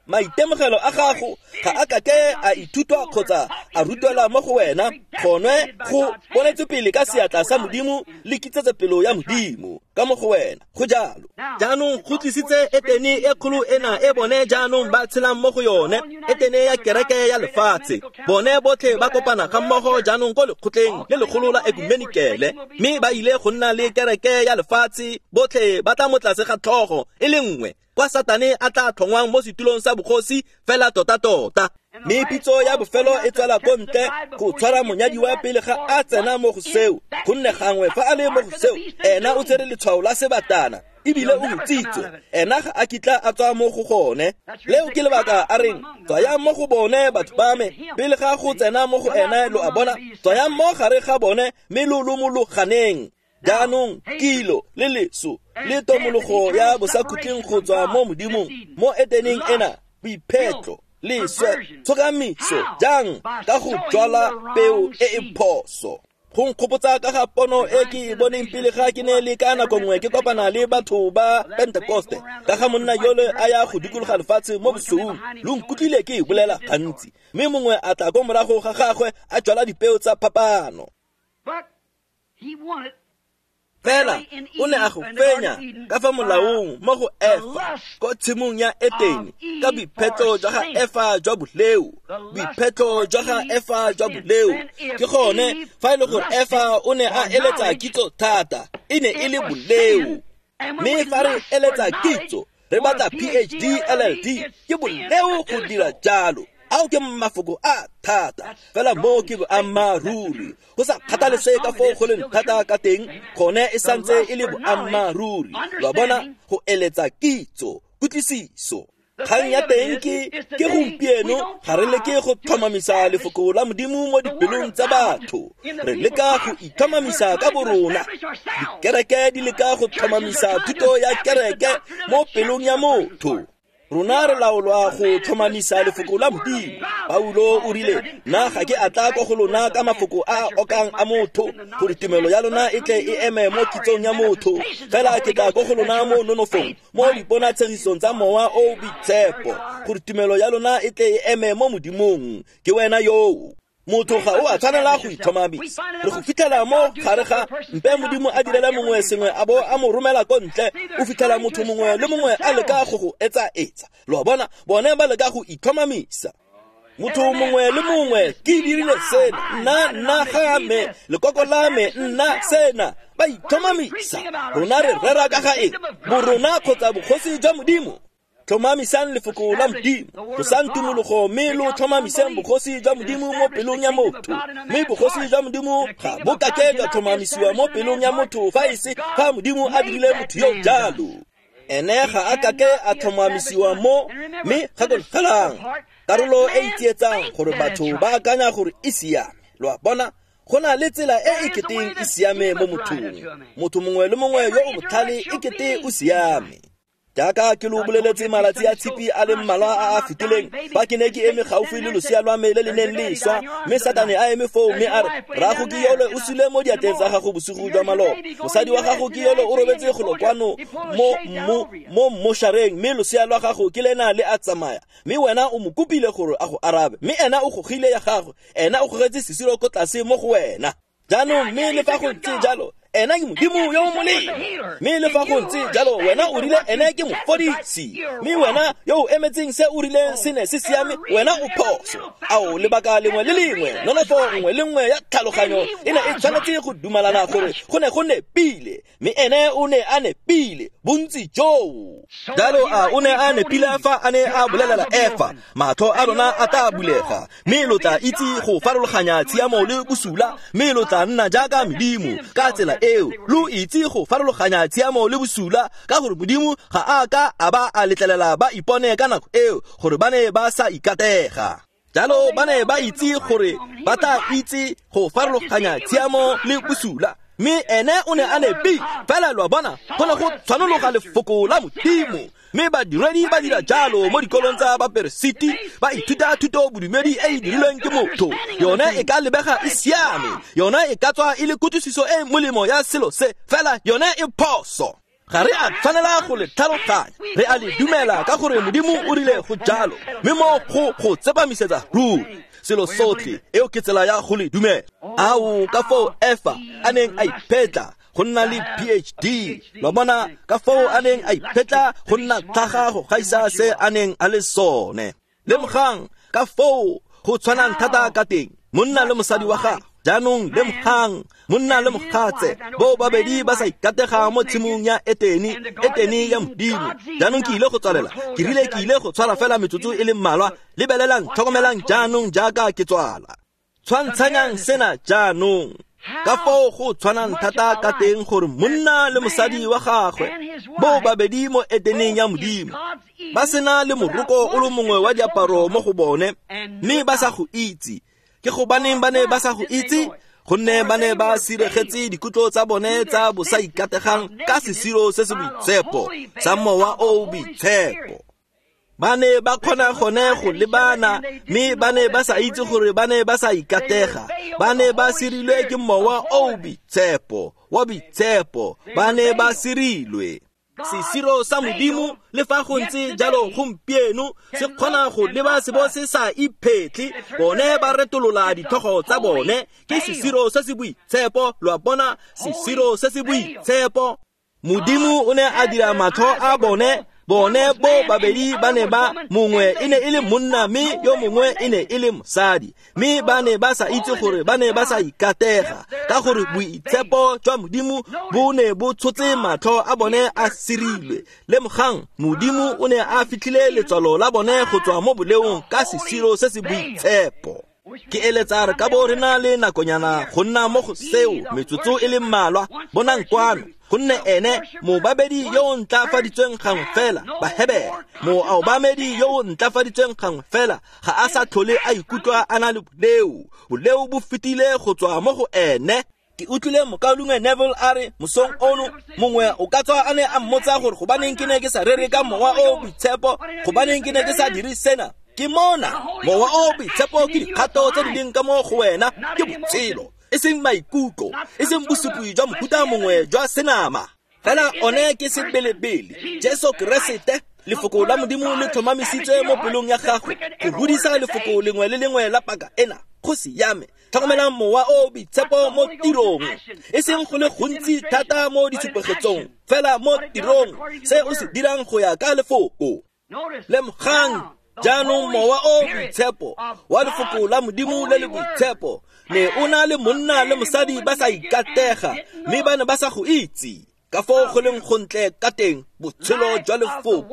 Maitemogelo a gago ga a kake a ithutwa kgotsa a rutwela mo go wena, gone go bonetswe pele ka seatla sa Modimo le kitsetsepelo ya Modimo ka mo go wena. Go jalo. Jaanong go tlisitse etene e kgolo ena e bone jaanong ba tshelang mo go yone, etene ya kereke ya lefatshe. Bone botlhe ba kopana ga mmogo jaanong ko lekgotleng le legolo la ekumenikele, mme ba ile go nna le kereke ya lefatshe, botlhe ba tla mo tlase ga tlhogo e le nngwe, kwa Satane a tla tlhongwang mo setulong sa bogosi fela tota-tota. Mme pitso ya bofelo e tswela ko ntle go tshwara monyadiwa pele ga a tsena mo go seo, gonne gangwe fa a le mo go seo, ena o tsere letshwao la sebatana ebile o utswitswe, ena ga a kitla a tswa mo go gone. Leo ke lebaka a reng, tswayang mo go bone batho ba me, pele ga go tsena mo go ene, lo a bona, tswayang mo gare ga bone mme lo lomologaneng. Jaanong kilo le leso le tomologo ya bosakhutleng go tswa mo Modimong mo eteneng ena, boiphetlo, leswe, tshokamiso, jang ka go jwala peo e e phoso. Go nkgopotsa ka ga pono e ke e boneng pele ga ke ne le ka nako nngwe ke kopana le batho ba Pentekoste, ka ga monna yole a ya go dikologa lefatshe mo bosweu. Lo nkutlwile ke e bolela gantsi, mme mongwe a tla ko morago ga gagwe a jwala dipeo tsa phapano. Fela o ne a go fenya ka fa molaong mo go Efa ko tshimong ya Etene, ka boiphetlo jwa ga Efa jwa boleo, boiphetlo jwa ga Efa jwa boleo. Ke gone fa e le gore Efa o ne a eletsa kitso thata, e ne e le boleo. Mme fa re eletsa kitso, re batla P H D, L L D, ke boleo go dira jalo. Ao ke mafoko a thata, fela mo ke boammaaruri. Go sa kgathalesege ka foo go leng thata ka teng, gone e santse e le boammaaruri. Lo a bona, go eletsa kitso, kutlwisiso. Kgang ya teng ke ke gompieno ga re leke go tlhomamisa lefoko la Modimo mo dipelong tsa batho. Re leka go itlhomamisa ka borona. Dikereke di leka go tlhomamisa thuto ya kereke mo pelong ya motho. Rona re laolwa go tlhomamisa lefoko la Modimo. Paulo o rile, nna ga ke a tla ko go lona ka mafoko a okang a motho, gore tumelo ya lona e tle e eme mo kitsong ya motho. Fela ke tla ko go lona mo nonofong, mo diponatshegisong tsa mowa o boitshepo, gore tumelo ya lona e tle e eme mo Modimong. Ke wena yoo. Motho ga o a tshwanela go itlhomamisa. Re go fitlhela mo gare ga mpe Modimo a direla mongwe sengwe a bo a mo romela ko ntle, o fitlhela motho mongwe le mongwe a leka go go etsa-etsa. Lo a bona, bone ba leka go itlhomamisa. Motho mongwe le mongwe ke dirile sena, nna nna ga me, lekoko la me nna sena. Ba itlhomamisa. Rona re rera ka ga eng? Borona kgotsa bogosi jwa Modimo. Tlhomamisang lefoko la Modimo. Tlosang tumologo mme lo tlhomamiseng bogosi jwa Modimo mo pelong ya motho. Mme bogosi jwa Modimo ga bo kake jwa tlhomamisiwa mo pelong ya motho fa e se fa Modimo a dirile motho yo jalo. Ene ga a kake a tlhomamisiwa mo, mme gakologelang karolo e e tsietsang gore batho ba akanya gore e siame. Lo a bona, go na le tsela e e keteng e siame mo mothong. Motho mongwe le mongwe yo o botlhale e kete o siame. Jaaka ke lo boleletse malatsi a tshipi a le mmalwa a a fetileng, fa ke ne ke eme gaufi le losea lwa me le le neng le swa, mme Satane a eme foo mme a re, rrago ke yole o sule mo diatleng tsa gago bosigo jwa maloba, mosadi wa gago ke yole o robetse golo kwano mo mo mo mmošareng, mme losea lwa gago ke lena le a tsamaya, mme wena o mo kopile gore a go arabe, mme ena o gogile ya gagwe, ena o gogetse sesiro ko tlase mo go wena. Jaanong mme le fa go ntse jalo, ena ke Modimo yo o molemo. Mme le fa go ntse jalo, wena o rile ene ke mofodisi. Mme wena yo o emetseng se o rileng se ne se siame, wena o phoso. Ao, lebaka lengwe le lengwe, nonofo nngwe le nngwe ya tlhaloganyo e ne e tshwanetse go dumalana gore go ne go nepile, mme ene o ne a nepile bontsi joo. Jalo a o ne a nepile fa a ne a bolelela Efa, matlho a lona a tla bulega, mme lo tla itse go farologanya tshiamo le bosula, mme lo tla nna jaaka medimo. Ka tsela eo lo itse go farologanya tshiamo le bosula, ka gore Modimo ga a ka a ba a letlelela ba ipone ka nako eo gore ba ne ba sa ikatega. Jalo ba ne ba itse gore ba tla itse go farologanya tshiamo le bosula, mme ene o ne a nepile. Fela lo a bona, go ne go tshwanologa lefoko la Modimo. Mme badiredi ba dira jalo mo dikolong tsa baperesiti, ba ithuta thuto bodumedi e e dirilweng ke motho. Yone e ka lebega e siame, yone e ka tswa e le kutlwisiso e molemo ya selo se, fela yone e phoso. Ga re a tshwanela go le tlhaloganya, re a le dumela ka gore Modimo o rile go jalo, mme mo go go tsepamisetsa ruri selo sotlhe. Eo ke tsela ya go le dumela. Ao, ka foo Efa a neng a iphetla go nna le P H D, lo bona ka foo a neng a iphetla go nna tlhaga go gaisa se a neng a le sone. Lemogang ka foo go tshwanang thata ka teng monna le mosadi wa gagwe. Jaanong lemogang monna le mogatse bo babedi ba sa ikatega mo tshimong ya Etene, Etene ya Modimo. Jaanong ke ile go tswalela, ke rile ke ile go tshwara fela metsotso e le mmalwa. Lebelelang, tlhokomelang jaanong jaaka ke tswala. Tshwantshanyang sena jaanong ka foo go tshwanang thata ka teng gore monna le mosadi wa gagwe bo babedi mo Eteneng ya Modimo ba sena le moroko o le mongwe wa diaparo mo go bone, mme ba sa go itse. Ke gobaneng ba ne ba sa go itse? Gonne ba ne ba siregetse dikutlo tsa bone tsa bosaikategang ka sesiro se se boitshepo sa Mowa o o Boitshepo. Ba ne ba kgona gone go lebana, mme ba ne ba sa itse gore ba ne ba sa ikatega. Ba ne ba sirilwe ke Mowa o o Boitshepo, wa boitshepo. Ba ne ba sirilwe. Sesiro sa Modimo le fa go ntse jalo gompieno se kgona go leba se bo se sa iphetle. Bone ba retolola ditlhogo tsa bone. Ke sesiro se se boitshepo, lo a bona, sesiro se se boitshepo. Modimo o ne a dira matlho a bone. Bone bo babedi ba ne ba, mongwe e ne e le monna mme yo mongwe e ne e le mosadi, mme ba ne ba sa itse gore ba ne ba sa ikatega, ka gore boitshepo jwa Modimo bo ne bo tshotse matlho a bone a sirilwe. Lemogang, Modimo o ne a fitlhile letswalo la bone go tswa mo boleong ka sesiro se se boitshepo. Ke eletsa re ka bo re na le nakonyana go nna mo go seo metsotso e le mmalwa. Bonang kwano, gonne ene mobabedi yo o ntlafaditsweng gangwe fela, Bahebere, moobamedi yo o ntlafaditsweng gangwe fela ga a sa tlhole a ikutlwa a na le boleo. Boleo bo fetile go tswa mo go ene. Ke utlwile mokaulengwe Neville a re mosong ono, mongwe o ka tswa a ne a mmotsa gore gobaneng ke ne ke sa rere ka Mowa o o Boitshepo, gobaneng ke ne ke sa dire sena. Ke mona, Mowa o o Boitshepo ke dikgato tse di leng ka mo go wena, ke botshelo, e seng maikutlo, e seng bosupi jwa mofuta mongwe jwa senama. Fela one ke sebelebele, Jesu Keresete, lefoko la Modimo le tlhomamisitswe mo pelong ya gagwe go godisa lefoko lengwe le lengwe la paka ena. Go siame. Tlhokomelang Mowa o o Boitshepo mo tirong, e seng go le gontsi thata mo ditshupegetsong, fela mo tirong, se o se dirang go ya ka lefoko. Lemogang Jaanong Mowa o Boitshepo wa Lefoko la Modimo le le Boitshepo ne o na le monna le mosadi ba sa ikatega, mme ba ne ba sa go itse ka foo go leng gontle ka teng botshelo jwa lefoko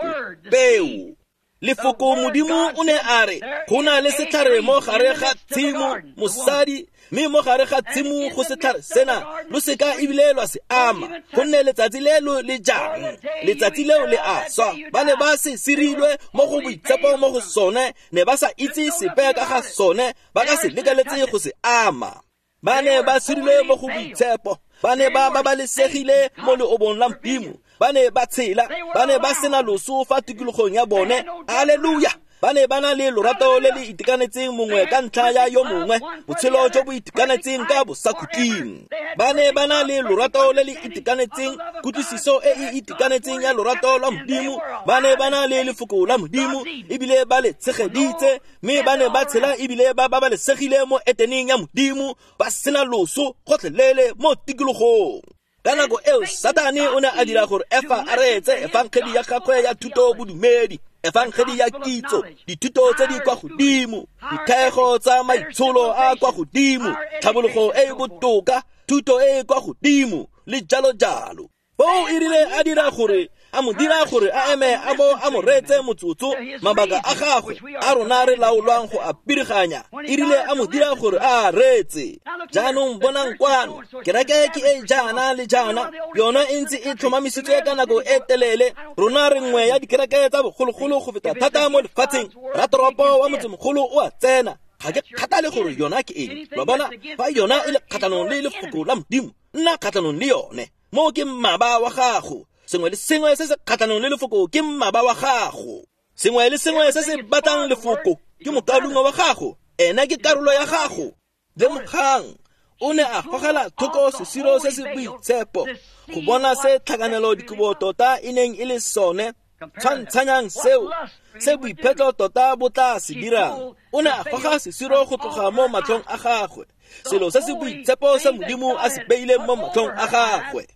peo. Lefoko Modimo o ne a re go na le setlhare mo gare ga tshimo mosadi, mme mo gare ga tshimo go setlhare sena lo seka ebile lwa se ama, gonne letsatsi le lo le jang letsatsi leo le a swa. Ba ne ba se sirilwe mo go boitshepo mo go sone, ne ba sa itse sepe ka ga sone, ba ka se lekaletse go se ama. Ba ne ba sirilwe mo go boitshepo, ba ne ba babalesegile mo leobong la Modimo, ba ne ba tshela, ba ne ba sena loso fa tikologong ya bone. Alleluia! Ba ne ba na le lorato le le itekanetseng mongwe ka ntlha ya yo mongwe, botshelo jo bo itekanetseng ka bosakhutleng. Ba ne ba na le lorato le le itekanetseng, kutlwisiso e e itekanetseng ya lorato lwa Modimo. Ba ne ba na le lefoko la Modimo ebile ba le tshegeditse, mme ba ne ba tshela ebile ba babalesegile mo eteneng ya Modimo, ba sena loso gotlhelele mo tikologong. Ka nako eo Satane o ne a dira gore Efa a reetse efangedi ya gagwe ya thuto bodumedi, efangedi ya kitso, dithuto tse di kwa godimo, dithaego tsa maitsholo a kwa godimo, tlhabologo e e botoka, thuto e e kwa godimo, le jalo jalo. Foo e rile a dira gore a mo dira gore a eme a bo a mo reetse motsotso mabaka a gagwe a rona re laolwang go a piriganya, e rile a mo dira gore a reetse. Jaanong bonang kwano, kereke ke e jaana le jaana, yona e ntse e tlhomamisitswe ka nako e telele. Rona re nngwe ya dikereke tsa bogologolo go feta thata mo lefatsheng. Ratoropo wa motsemogolo o a tsena, ga ke kgathale gore yona ke eng. Lo bona, fa yona e le kgatlhanong le lefoko la Modimo, nna kgatlhanong le yone. Mo ke mmaba wa gago. Sengwe le sengwe se se kgatlhanong le lefoko ke mmaba wa gago. Sengwe le sengwe se se batlang lefoko ke mokaulengwe wa gago, ena ke karolo ya gago. Lemogang, o ne a gogela thoko sesiro se se boitshepo go bona se tlhakanelo dikobo tota e neng e le sone. Tshwantshanyang seo se boiphetlo tota bo tla se dirang. O ne a goga sesiro go tloga mo matlhong a gagwe, selo se se boitshepo se Modimo a se beileng mo matlhong a gagwe.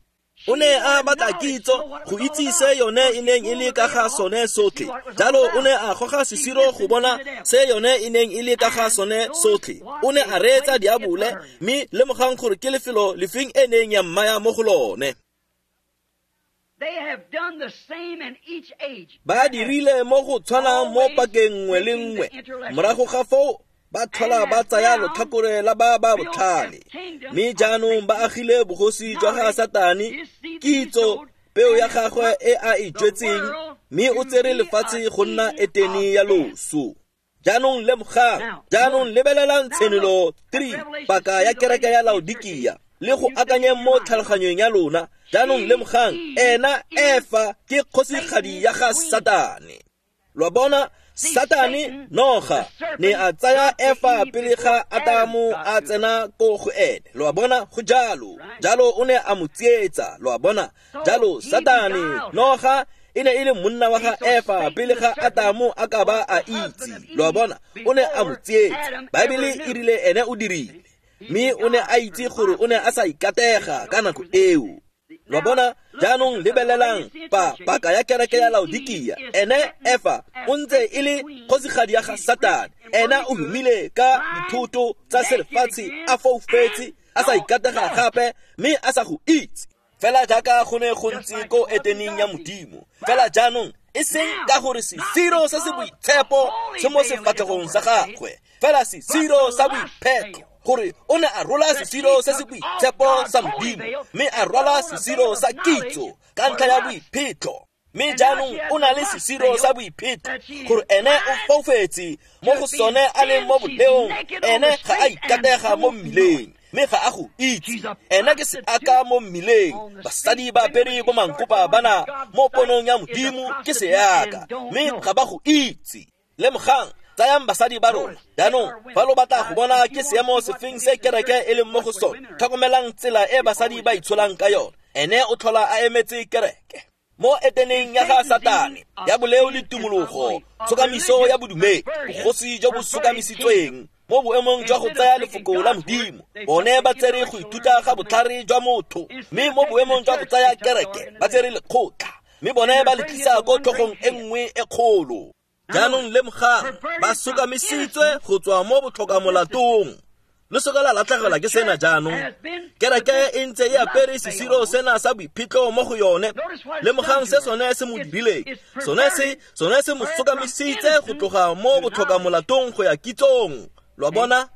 O ne a batla kitso go itse se yone e neng e le ka ga sone sotlhe. Jalo o ne a goga sesiro go bona se yone e neng e le ka ga sone sotlhe. O ne a reetsa diabole, mme lemogang gore ke lefelo lefeng e neng ya mmaya mo go lone. Ba dirile mo go tshwanang mo pakeng nngwe le nngwe. Morago ga foo ba tlhola ba tsaya lotlhakore la ba ba botlhale, mme jaanong ba agile bogosi jwa ga Satane, kitso peo ya gagwe e a e jwetseng, mme o tsere lefatshe go nna etene ya loso. Jaanong lemogang, jaanong lebelelang Tshenolo three, paka ya kereke ya Laodikia, le go akanyeng mo tlhaloganyong ya lona. Jaanong lemogang, ena Efa ke kgosigadi ya ga Satane. Lo bona, Satane noga ne a tsaya Efa pele ga Adamo a tsena ko go ene. Lo bona, go jalo. Jalo o ne a mo tsietsa. Lo bona, jalo Satane noga e ne e le monna wa ga Efa pele ga Adamo a ka ba a itse. Lo bona, o ne a mo tsietsa. Baebele e rile ene o dirile, mme o ne a itse gore o ne a sa ikatega ka nako eo. Lo bona, jaanong lebelelang pa paka ya kereke ya Laodikia. Ene Efa o ntse e le kgosigadi ya ga Satane. Ena o humile ka dithoto tsa selefatshe, a foufetse, a sa ikatega gape, mme a sa go itse. Fela jaaka go ne go ntse ko eteneng ya Modimo. Fela jaanong e seng ka gore sesiro se se boitshepo se mo sefatlhegong sa gagwe, fela sesiro sa boiphetlo, gore o ne a rola sesiro se se boitshepo sa Modimo, mme a rwala sesiro sa kitso ka ntlha ya boiphetlo. Mme jaanong o na le sesiro sa boiphetlo, gore ene o foufetse mo go sone a leng mo boleong. Ene ga a ikatega mo mmileng, mme ga a go itse. Ene ke seaka mo mmileng. Basadi ba apere bo mankopa bana mo ponong ya Modimo ke seaka, mme ga ba go itse. Lemogang, tsayang basadi ba rona. Jaanong fa lo batla go bona ke seemo sefeng se kereke e leng mo go sone, tlhokomelang tsela e basadi ba itsholang ka yone. Ene o tlhola a emetse kereke mo eteneng ya ga Satane ya boleo le tumologo, tshokamiso ya bodumedi, bogosi jo bo sokamisitsweng mo boemong jwa go tsaya lefoko la Modimo. Bone ba tsere go ithuta ga botlhare jwa motho, mme mo boemong jwa go tsaya kereke ba tsere lekgotla, mme bone ba le tlisa ko tlhogong e nngwe e kgolo. Jaanong lemogang, ba sokamisitswe go tswa mo botlhokamolatong. Lo seka la latlhegelwa ke sena jaanong. Kereke e ntse e apere sesiro sena sa boiphitlho mo go yone. Lemogang se sone se mo dirileng. Sone se, sone se mo sokamisitse go tloga mo botlhokamolatong go ya kitsong. Lo a bona?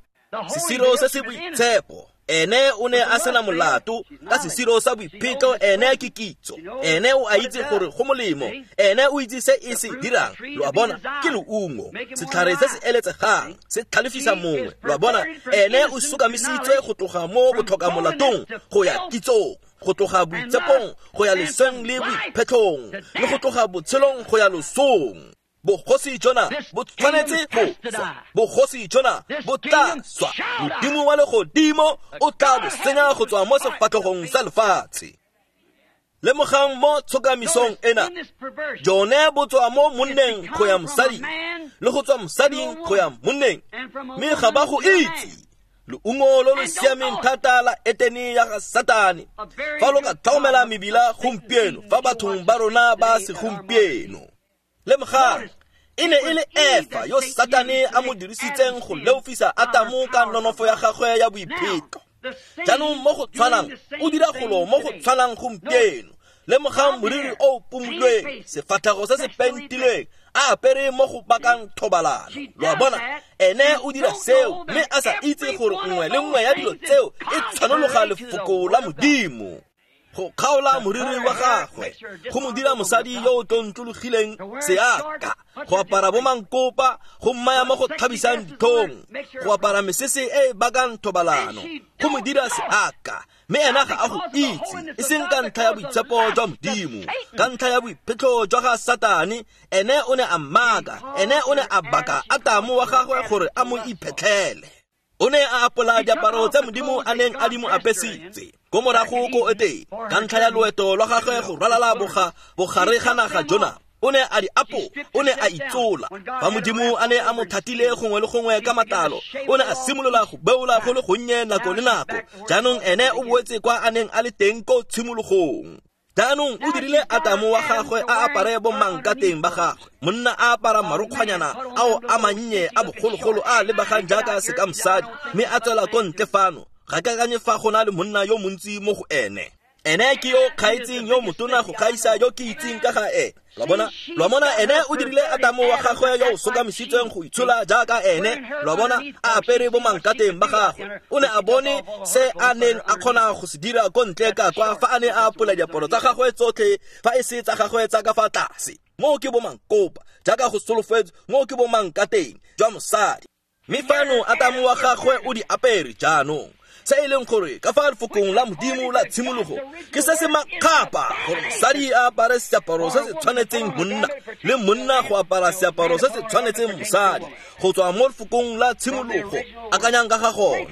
Sesiro se se boitshepo. Ene o ne a sena molato ka sesiro sa boiphitlho, ene ke kitso. Ene o a itse gore go molemo. Ene o itse se e se dirang. Lo a bona? Ke leungo. Setlhare se se eletsegang se tlhalefisa mongwe. Lo a bona? Ene o sokamisitswe go tloga mo botlhokamolatong go ya kitsong, go tloga boitshepong go ya lesweng le boiphetlhong, le go tloga botshelong go ya losong. Bogosi jona bo tshwanetse go swa. Bogosi jona bo tla swa. Modimo wa legodimo o tla bo senya go tswa mo sefatlhegong sa lefatshe. Lemogang mo tshokamisong ena, jone bo tswa mo monneng go ya mosading, le go tswa mosading go ya monneng, mme ga ba go itse. Leungo lo lo siameng thata la Etene ya ga Satane. Fa lo ka tlhokomela mebila gompieno, fa bathong ba rona ba segompieno. Lemogang, e ne e le Efa yo Satane a mo dirisitseng go leofisa Atamo ka nonofo ya gagwe ya boiphetlo. Jaanong mo go tshwanang, o dira golo mo go tshwanang gompieno. Lemogang moriri o o pumulweng, sefatlhego se se pentilweng, a apere mo go bakang thobalano. Lo a bona? Ene o dira seo, mme a sa itse gore nngwe le nngwe ya dilo tseo e tshwanologa lefoko la Modimo. Go kgaola moriri wa gagwe, go mo dira mosadi yo o tlontlologileng seaka, go apara bomankopa, go mmaya mo go thabisang ditlhong, go apara mesese e e bakang thobalano, go mo dira seaka. Mme ena ga a go itse, e seng ka ntlha ya boitshepo jwa Modimo, ka ntlha ya boiphitlho jwa ga Satane. Ene o ne a mmaka, ene o ne a baka Atamo wa gagwe gore a mo iphetlhele. O ne a apola diaparo tse Modimo a neng a di mo apesitse ko morago ko Etene, ka ntlha ya loeto lwa gagwe go ralala boga bogare ga naga jona. O ne a di apo, o ne a itsola. Fa Modimo a ne a mo thatile gongwe le gongwe ka matlalo, o ne a simolola go beola go le gonnye nako le nako. Jaanong ene o boetse kwa a neng a le teng ko tshimologong. Jaanong o dirile Atamo wa gagwe a apare bomankateng ba gagwe. Monna a apara marokgwanyana ao a mannye a bogologolo a lebagang jaaka sekamosadi, mme a tswela ko ntle fano. Ga ke akanye fa go na le monna yo montsi mo go ene. Ene ke yo kgaetseng yo motona go gaisa yo ke itseng ka ga ene. Lo bona? Lo bona, ene o dirile Atamo wa gagwe yo o sokamisitsweng go itshola jaaka ene. Lo bona, a apere bomankateng ba gagwe. O ne a bone se a neng a kgona go se dira ko ntle ka kwa fa a ne a apola diaparo tsa gagwe tsotlhe, fa e se tsa gagwe tsa ka fa tlase. Moo ke bomankopa, jaaka go solofetswe, moo ke bomankateng jwa mosadi. Mme fano Atamo wa gagwe o di apere jaanong. Se e leng gore ka fa lefokong la Modimo la tshimologo ke se se makgapa gore mosadi a apare seaparo se se tshwanetseng monna, le monna go apara seaparo se se tshwanetseng mosadi, go tswa mo lefokong la tshimologo. Akanyang ka ga gone.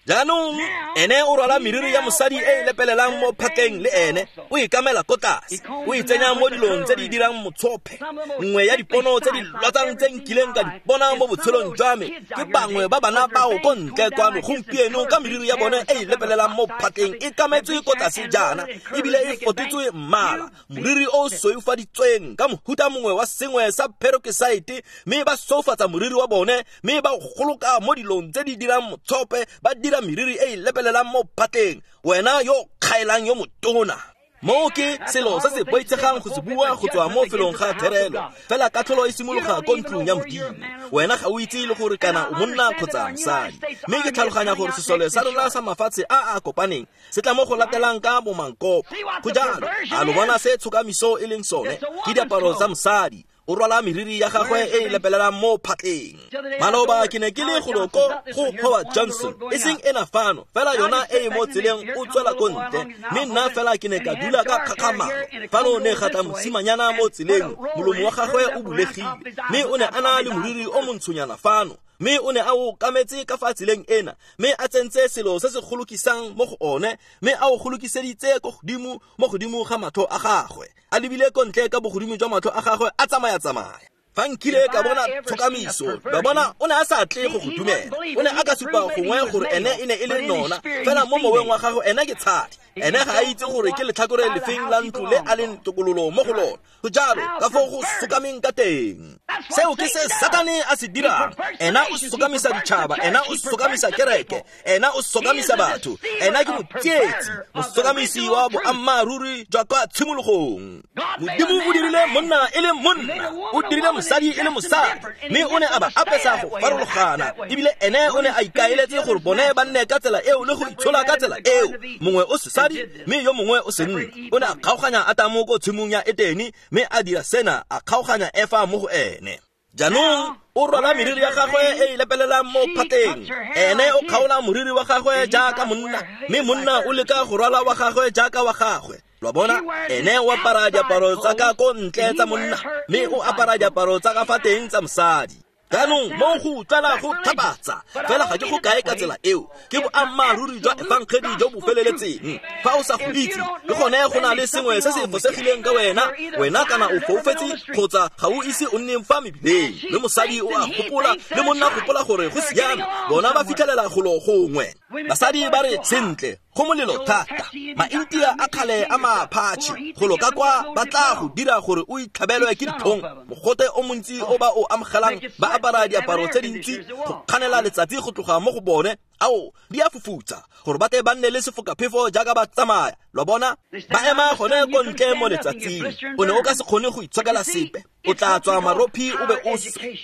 Jaanong ene o rwala meriri ya mosadi e e lepelelang mo phatleng le ene, o e kamela ko tlase, o e tsenya mo dilong tse di dirang motshophe. Nngwe ya dipono tse di lwatsang tse nkileng ka di bona mo botshelong jwa me ke bangwe ba bana bao ko ntle kwano gompieno ka meriri ya bone e e lepelelang mo phatleng e kametswe ko tlase jaana, ebile e fotetswe mmala, moriri o soeufaditsweng ka mohuta mongwe wa sengwe sa peroxide, mme ba soufatsa moriri wa bone, mme ba goloka mo dilong tse di dirang motshophe, ba dira meriri e e lepelelang mo phatleng. Wena yo kgaelang yo motona. Moo ke selo se se boitshegang go se bua go tswa mo felong ga therelo, fela katlholo e simologa ko ntlong ya Modimo. Wena ga o itse le gore kana o monna kgotsa mosadi. Mme ke tlhaloganya gore sesole sa rona sa mafatshe a a kopaneng se tla mo go latelang ka bomankopo. Go jalo, a lo bona se tshokamiso e leng sone? Ke diaparo tsa mosadi. O rwala meriri ya gagwe e e lepelelang mo phatleng. Maloba ke ne ke le golo ko go Howard Johnson, e seng ena fano, fela yona e e mo tseleng o tswela ko ntle. Mme nna fela ke ne ka dula ka kgakgamalo. Fano ne ga tla mosimanyana mo tseleng, molomo wa gagwe o bulegile, mme o ne a na le moriri o montshonyana fano, mme o ne a o kametse ka fa tseleng ena, mme a tsentse selo se se golokisang mo go one, mme a o golokiseditse ko godimo mo godimo ga matlho a gagwe, a lebile ko ntle ka bogodimo jwa matlho a gagwe a tsamaya-tsamaya. Fa nkile ka bona tshokamiso, ba bona o ne a sa tle go go dumela. O ne a ka supa gongwe gore ene e ne e le nona, fela mo moweng wa gagwe ene ke tshadi. Ene ga a itse gore ke letlhakore lefeng la ntlo le a leng tokololo mo go lona. Go jalo ka foo go sokameng ka teng. Seo ke se Satane a se dirang. Ena o sokamisa ditšhaba, ena o sokamisa kereke, ena o sokamisa batho. Ena ke motsietsi, mosokamisi wa boammaaruri jwa kwa tshimologong. Modimo o dirile monna e le monna, o dirile mosadi e le mosadi, mme o ne a ba apesa go farologana. Ebile ene o ne a ikaeletse gore bone ba nne ka tsela eo le go itshola ka tsela eo. Mongwe o sesadi mme yo mongwe o senna. O ne a kgaoganya Atamo ko tshimong ya Etene, mme a dira sena, a kgaoganya Efa mo go ene. Jaanong o rwala meriri ya gagwe e e lepelelang mo phateng. Ene o kgaola moriri wa gagwe jaaka monna, mme monna o leka go rwala wa gagwe jaaka wa gagwe. Lo bona, ene o apara diaparo tsa ka ko ntle tsa monna, mme o apara diaparo tsa ka fa teng tsa mosadi. Jaanong mo go utlwala go tlhapatsa, fela ga ke go kae ka tsela eo. Ke boammaaruri jwa efangedi jo bo feleletseng. Fa o sa go itse, le gone go na le sengwe se se fosegileng ka wena. Wena kana o foufetse kgotsa ga o ise o nne fa mebileng. Mme mosadi o a gopola le monna gopola gore go siame, bona ba fitlhelela golo gongwe. Basadi ba re sentle, go molelo thata. Maintia a kgale a maaphatšhe golo ka kwa ba tla go dira gore o itlhabelwe ke ditlhong. Mogote o montsi o ba o amogelang ba apara diaparo tse dintsi go kganela letsatsi go tloga mo go bone. Ao, di a fufutsa gore ba tle ba nne le sefokaphefo jaaka ba tsamaya. Lo bona, ba ema gone ko ntle mo letsatsing. O ne o ka se kgone go itshokela sepe. O tla tswa marophi o be o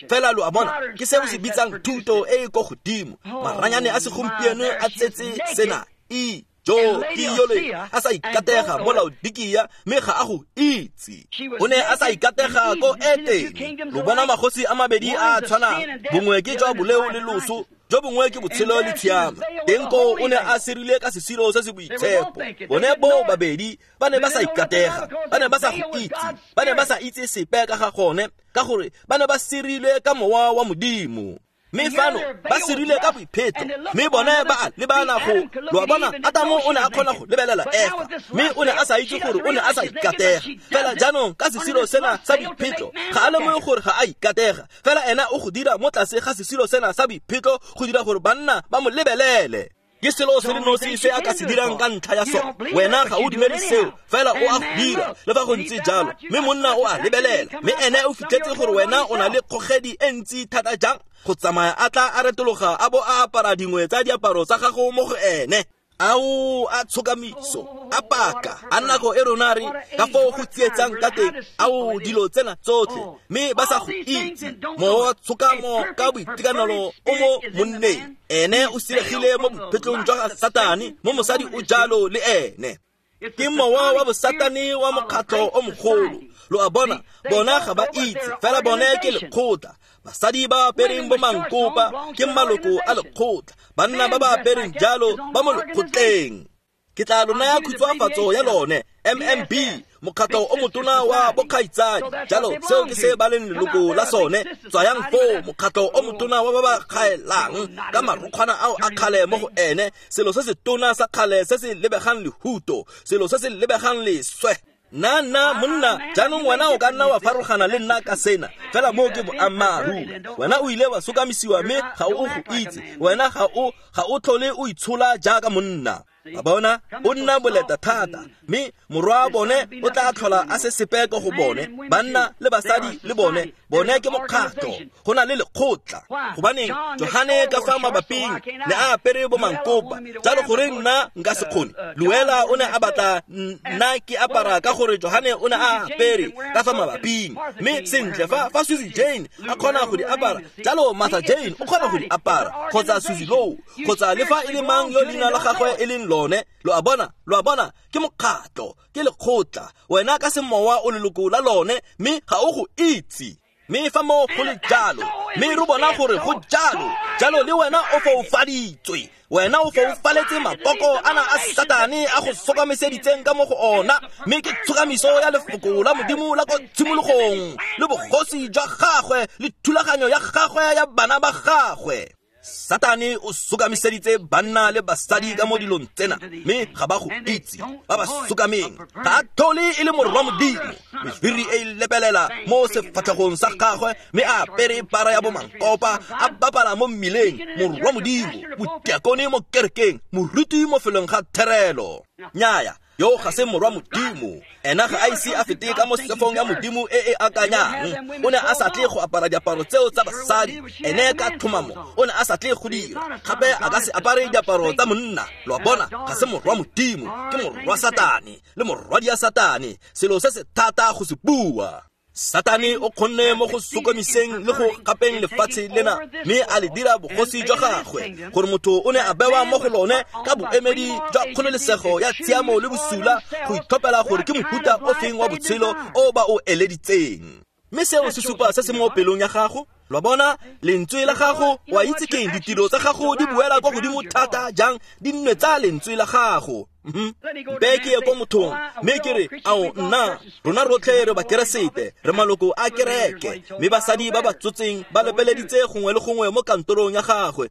fela. Lo a bona, ke se o se bitsang thuto e e ko godimo. Maranyane a segompieno a tsetse sena e jo ke yole a sa ikatega mo Laodikia, mme ga a go itse. O ne a sa ikatega ko Etene. Lo bona magosi a mabedi a a tshwanang, bongwe ke jwa boleo le loso, jo bongwe ke botshelo le tshiamo. Teng koo o ne a sirile ka sesiro se se boitshepo. Bone bo babedi ba ne ba sa ikatega, ba ne ba sa go itse, ba ne ba sa itse sepe ka ga gone, ka gore ba ne ba sirilwe ka mowa wa Modimo. Mme fano ba sirile ka boipheto, mme bone ba a lebana go. Lo a bona, Atamo o ne a kgona go lebelela Efa, mme o ne a sa itse gore o ne a sa ikatega. Fela jaanong ka sesiro sena sa boiphetlo, ga a lemoge gore ga a ikatega. Fela ena o go dira mo tlase ga sesiro sena sa boiphetlo go dira gore banna ba mo lebelele. Ke selo se le nosi se a ka se dirang ka ntlha ya sone. Wena ga o dumele seo, fela o a go dira le fa go ntse jalo. Mme monna o a lebelela, mme ene o fitlhetse gore wena o na le kgogedi e ntsi thata jang go tsamaya a tla a retologa a bo a apara dingwe tsa diaparo tsa gago mo go ene. Ao, a tshokamiso, a paka, a nako e rona re ka foo go tsietsang ka teng. Ao, dilo tsena tsotlhe, mme ba sa go itse. Mowa wa tshokamo ka boitekanelo o mo monneng. Ene o siregile mo bophetlong jwa ga Satane, mo mosadi o jalo le ene. Ke mowa wa bosatane wa mokgatlho o mogolo. Lo a bona, bona ga ba itse, fela bone ke lekgotla. Basadi ba apereng bo mankopa ke maloko a lekgotla, banna ba ba apereng jalo ba mo lekgotleng. Ke tla lo naya khutshwafatso ya lone, M M B, mokgatlho o motona wa bokgaitsadi. Jalo seo ke se ba leng leloko la sone. Tswayang foo, mokgatlho o motona wa ba ba kgaelang ka marokgwana ao a kgale mo go ene, selo se se tona sa kgale se se lebegang lehuto, selo se se lebegang leswe. Nna nna monna, jaanong wena o ka nna wa farologana le nna ka sena, fela moo ke boammaaruri. Wena o ile wa sokamisiwa mme ga o go itse. Wena ga o ga o tlhole o itshola jaaka monna. Ba bona, o nna boleta thata, mme morwa bone o tla tlhola a se sepe ko go bone. Banna le basadi le bone, bone ke mokgatlho, go na le lekgotla. Gobaneng Johane ka fa mabaping ne a apere bo mankopa, jalo gore nna nka se kgone. Luela o ne a batla nna ke apara ka gore Johane o ne a apere ka fa mabaping. Mme sentle fa fa Susie Jane a kgona go di apara, jalo Martha Jane o kgona go di apara, kgotsa Susie Low, kgotsa le fa e le mang yo leina la gagwe e leng lone. Lo a bona, lo a bona, ke mokgatlho, ke lekgotla. Wena ka semowa o leloko la lone, mme ga o go itse. Mme fa mo go le jalo, mme re bona gore go jalo, jalo le wena o foufaditswe. Wena o foufaletse makoko ana a Satane a go sokamiseditseng ka mo go ona, mme ke tshokamiso ya lefoko la Modimo la ko tshimologong, le bogosi jwa gagwe le thulaganyo ya gagwe ya bana ba gagwe. Satane o sokamiseditse banna le basadi ka mo dilong tsena, mme ga ba go itse. Ba ba sokameng ga a tlhole e le morwa Modimo. Mefiri e lepelela mo sefatlhegong sa gagwe, mme a apere para ya bomankopa, a bapala mo mmileng. Morwa Modimo, motiakone mo kerekeng, moruti mo felong ga therelo. Nnyaya, yo ga se morwa Modimo. Ena ga a ise a fete ka mo sefong ya Modimo e e akanyang. O ne a sa tle go apara diaparo tseo tsa basadi. Ene ka tlhomamo o ne a sa tle go dira. Gape a ka se apare diaparo tsa monna. Lo a bona, ga se morwa Modimo, ke morwa Satane le morwadi ya Satane. Selo se se thata go se bua. Satane o kgonne mo go sokomiseng le go gapeng lefatshe lena, mme a le dira bogosi jwa gagwe, gore motho o ne a bewa mo go lone ka boemedi jwa kgololesego ya tshiamo le bosula go itlhophela gore ke mohuta o feng wa botshelo o ba o eleditseng. Mme seo se supa se se mo pelong ya gago. Lo bona, lentswe la gago, wa itse keng, ditiro tsa gago di buela kwa godimo thata jang, di nne tsa lentswe la gago. Mpe ke ye ko mothong, mme ke re, ao nna, rona rotlhe re bakeresete, re maloko a kereke, mme basadi ba ba tsotseng ba lepeleditse gongwe le gongwe mo kantorong ya gagwe.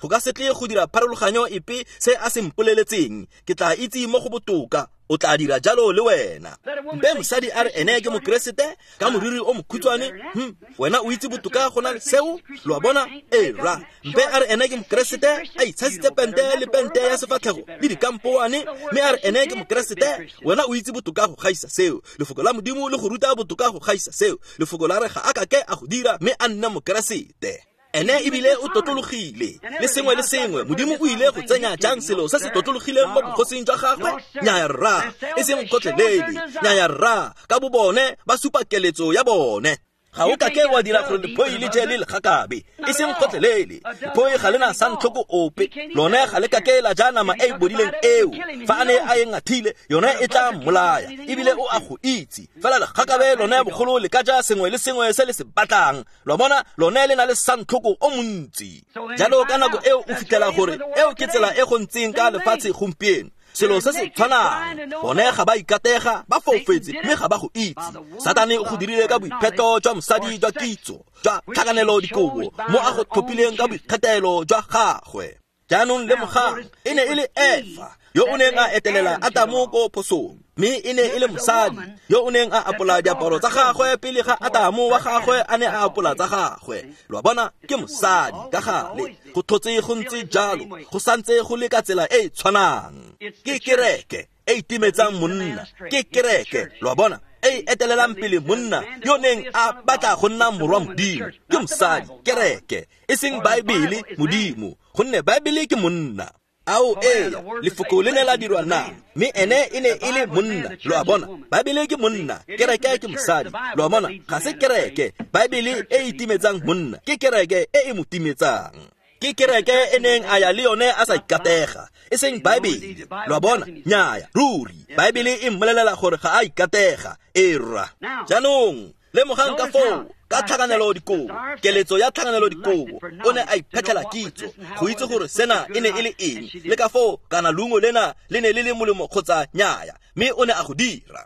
Go ka se tle go dira pharologanyo epe se a se mpoleletseng, ke tla itse mo go botoka. O tla dira jalo le wena. Mpe mosadi a re ene ke mokeresete ka moriri o mokhutshwane, hm, wena o itse botoka go na le seo. Lo a bona? Ee ra. Mpe a re ene ke mokeresete a itshasitse pente le pente ya sefatlhego le dikampoane, mme a re ene ke mokeresete, wena o itse botoka go gaisa seo. Lefoko la Modimo le go ruta botoka go gaisa seo. Lefoko la re ga a kake a go dira, mme a nna mokeresete. Ene ebile o totlologile le sengwe le sengwe. Modimo o ile go tsenya jang selo se se totlologileng mo bogosing jwa gagwe? Nnyaya rra, e seng gotlhelele. Nnyaya rra, ka bo bone ba supa keletso ya bone. Ga o kake wa dira gore lephoi le je le legakabe, e seng gotlhelele. Lephoi ga le na santlhoko ope, lone ga le kake la ja nama e e bodileng eo. Fa a ne a e ngathile, yone e tla mmolaya, ebile o a go itse. Fela legakabe lone bogolo le ka ja sengwe le sengwe se le se batlang. Lo bona, lone le na le santlhoko o montsi. Jalo ka nako eo o fitlhela gore eo ke tsela e go ntseng ka lefatshe gompieno. Selo se se tshwanang, bone ga ba ikatega, ba foufetse, mme ga ba go itse. Satane o go dirile ka boipheto jwa mosadi jwa kitso, jwa tlhakanelo dikobo, mo a go tlhophileng ka boikgethelo jwa gagwe. Jaanong lemogang, e ne e le Efa yo o neng a etelela Atamo ko phosong, mme e ne e le mosadi yo o neng a apola diaparo tsa gagwe pele ga Atamo wa gagwe a ne a apola tsa gagwe. Lo a bona, ke mosadi ka gale. Go tlhotse go ntse jalo, go santse go le ka tsela e e tshwanang. Ke kereke e itimetsang monna, ke kereke, lo a bona, e etelelang pele monna yo neng a batla go nna morwa Modimo. Ke mosadi, kereke, e seng Baebele, Modimo, gonne Baebele ke monna. Ao ee, lefoko le ne la dirwa nama, mme ene e ne e le monna. Lo a bona, Baebele ke monna, kereke ke mosadi. Lo a bona, ga se kereke, Baebele e itimetsang monna, ke kereke e e mo timetsang. Ke kereke e neng a ya le yone a sa ikatega, e seng Baebele. Lo a bona, nnyaya, ruri, Baebele e mmolelela gore ga a ikatega. E rra. Jaanong lemogang ka foo, ka tlhakanelo dikobo, keletso ya tlhakanelo dikobo, o ne a iphetlhela kitso go itse gore sena e ne e le eng, le ka foo kana leungo lena le ne le le molemo kgotsa nnyaya, mme o ne a go dira.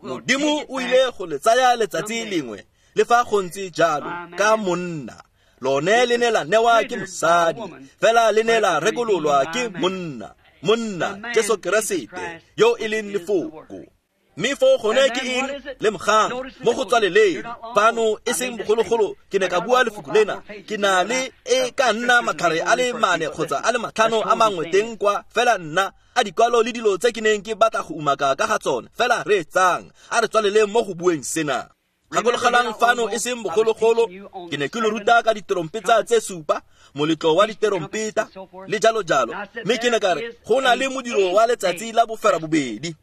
Modimo o ile go le tsaya letsatsi lengwe, le fa go ntse jalo, ka monna. Lone le ne la newa ke mosadi, fela le ne la rekololwa ke monna. Monna, Jesu Keresete, yo e leng lefoko. Mme foo gone ke eng? Lemogang, mo go tswaleleng fano, e seng bogologolo, ke ne ka bua lefoko lena. Ke na le e ka nna matlhare a le mane kgotsa a le matlhano a mangwe teng kwa, fela nna a dikwalo le dilo tse ke neng ke batla go umaka ka ga tsone. Fela reetsang, a re tswaleleng mo go bueng sena. Gakologelang fano e seng bogologolo, ke ne ke lo ruta ka diterompeta tse supa, moletlo wa diterompeta le jalo jalo. Mme ke ne ka re go na le modiro wa letsatsi la boferabobedi.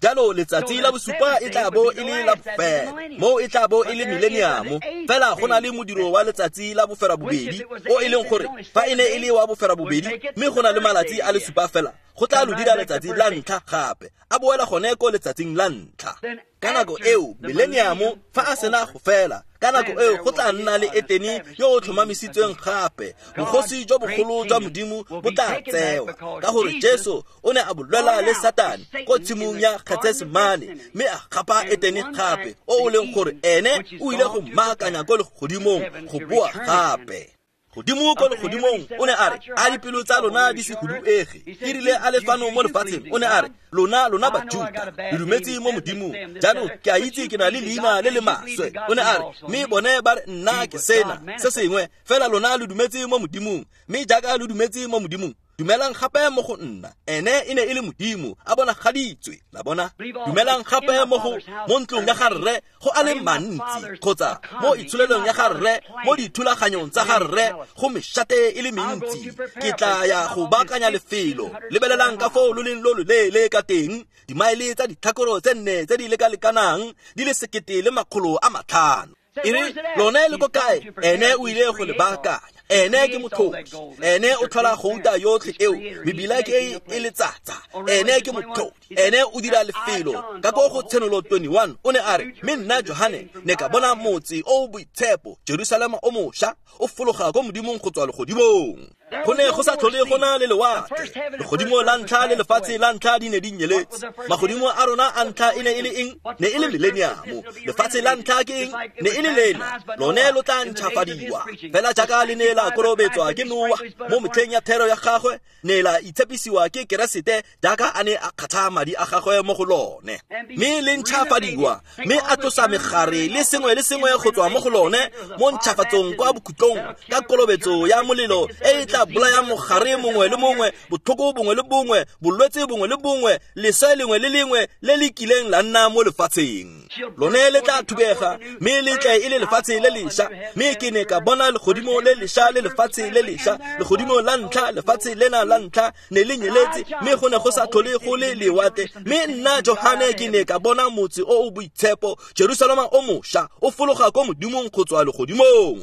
Jalo letsatsi la bosupa e tla bo e le la bofelo, mo e tla bo e le millennium. Fela go na le modiro wa letsatsi la boferabobedi, o e leng gore fa e ne e le wa boferabobedi, mme go na le malatsi a le supa fela, go tla lo dira letsatsi la ntlha gape, a boela gone ko letsatsing la ntlha. Ka nako eo millennium fa a sena go fela, ka nako eo go tla nna le Etene yo o tlhomamisitsweng gape. Bogosi jwa bogolo jwa Modimo bo tla tsewa, ka gore Jesu o ne a bolwela le Satane ko tshimong ya Getsemane, mme a gapa Etene gape, o o leng gore ene o ile go mmaakanya ko legodimong go boa gape. Godimo ko legodimong o ne a re a dipelo tsa lona di se huduege. E rile a le fano mo lefatsheng o ne a re lona lona Bajuta le dumetse mo Modimong, jaanong ke a itse ke na le leina le le maswe. O ne a re mme bone ba re nna ke sena se sengwe, fela lona le dumetse mo Modimong, mme jaaka le dumetse mo Modimong dumelang gape mo go nna. Ene e ne e le Modimo a bonagaditswe, la bona. Dumelang gape mo go mo ntlong ya ga rre go a le mantsi, kgotsa mo itsholelong ya ga rre, mo dithulaganyong tsa ga rre go mešate e le mentsi. Ke tla ya go baakanya lefelo. Lebelelang ka foo lo leng lo loleele ka teng, dimaele tsa ditlhakoro tse nne tse di lekalekanang di le sekete le makgolo a matlhano. E re lone le ko kae? Ene o ile go le baakanya. Ene ke motlhodi, ene o tlhola gouta yotlhe eo, mebila ke e e letsatsa. Ene ke motlhodi, ene o dira lefelo. Ka ko go Tshenolo twenty-one o ne a re mme nna Johane ne ka bona motse o boitshepo, Jerusalema o mošwa, o fologa ko Modimong go tswa legodimong. Go ne go sa tlhole go na le lewatle. Legodimo la ntlha le lefatshe la ntlha di ne di nyeletse. Magodimo a rona a ntlha e ne e le eng? Ne e le mileniamo. Lefatshe la ntlha ke eng? Ne e le lena. Lone lo tla ntšhafadiwa fela jaaka le ne la kolobetswa ke Noa mo metlheng ya thero ya gagwe, ne la itshepisiwa ke Keresete jaaka a ne a kgatha madi a gagwe mo go lone. Mme le ntšhafadiwa, mme a tlosa megare le sengwe le sengwe go tswa mo go lone mo ntšhafatsong kwa bokhutlong ka kolobetso ya molelo e e tla bolaya mogare mongwe le mongwe, botlhoko bongwe le bongwe, bolwetse bongwe le bongwe, leswe lengwe le lengwe le le kileng la nna mo lefatsheng. Lone le tla thubega mme le tle e le lefatshe le lešwa. Mme ke ne ka bona legodimo le lešwa le lefatshe le lešwa. Legodimo la ntlha, lefatshe lena la ntlha ne le nyeletse, mme go ne go sa tlhole go le lewatle. Mme nna Johane ke ne ka bona motse o o boitshepo, Jerusalema o mošwa, o fologa ko Modimong go tswa legodimong.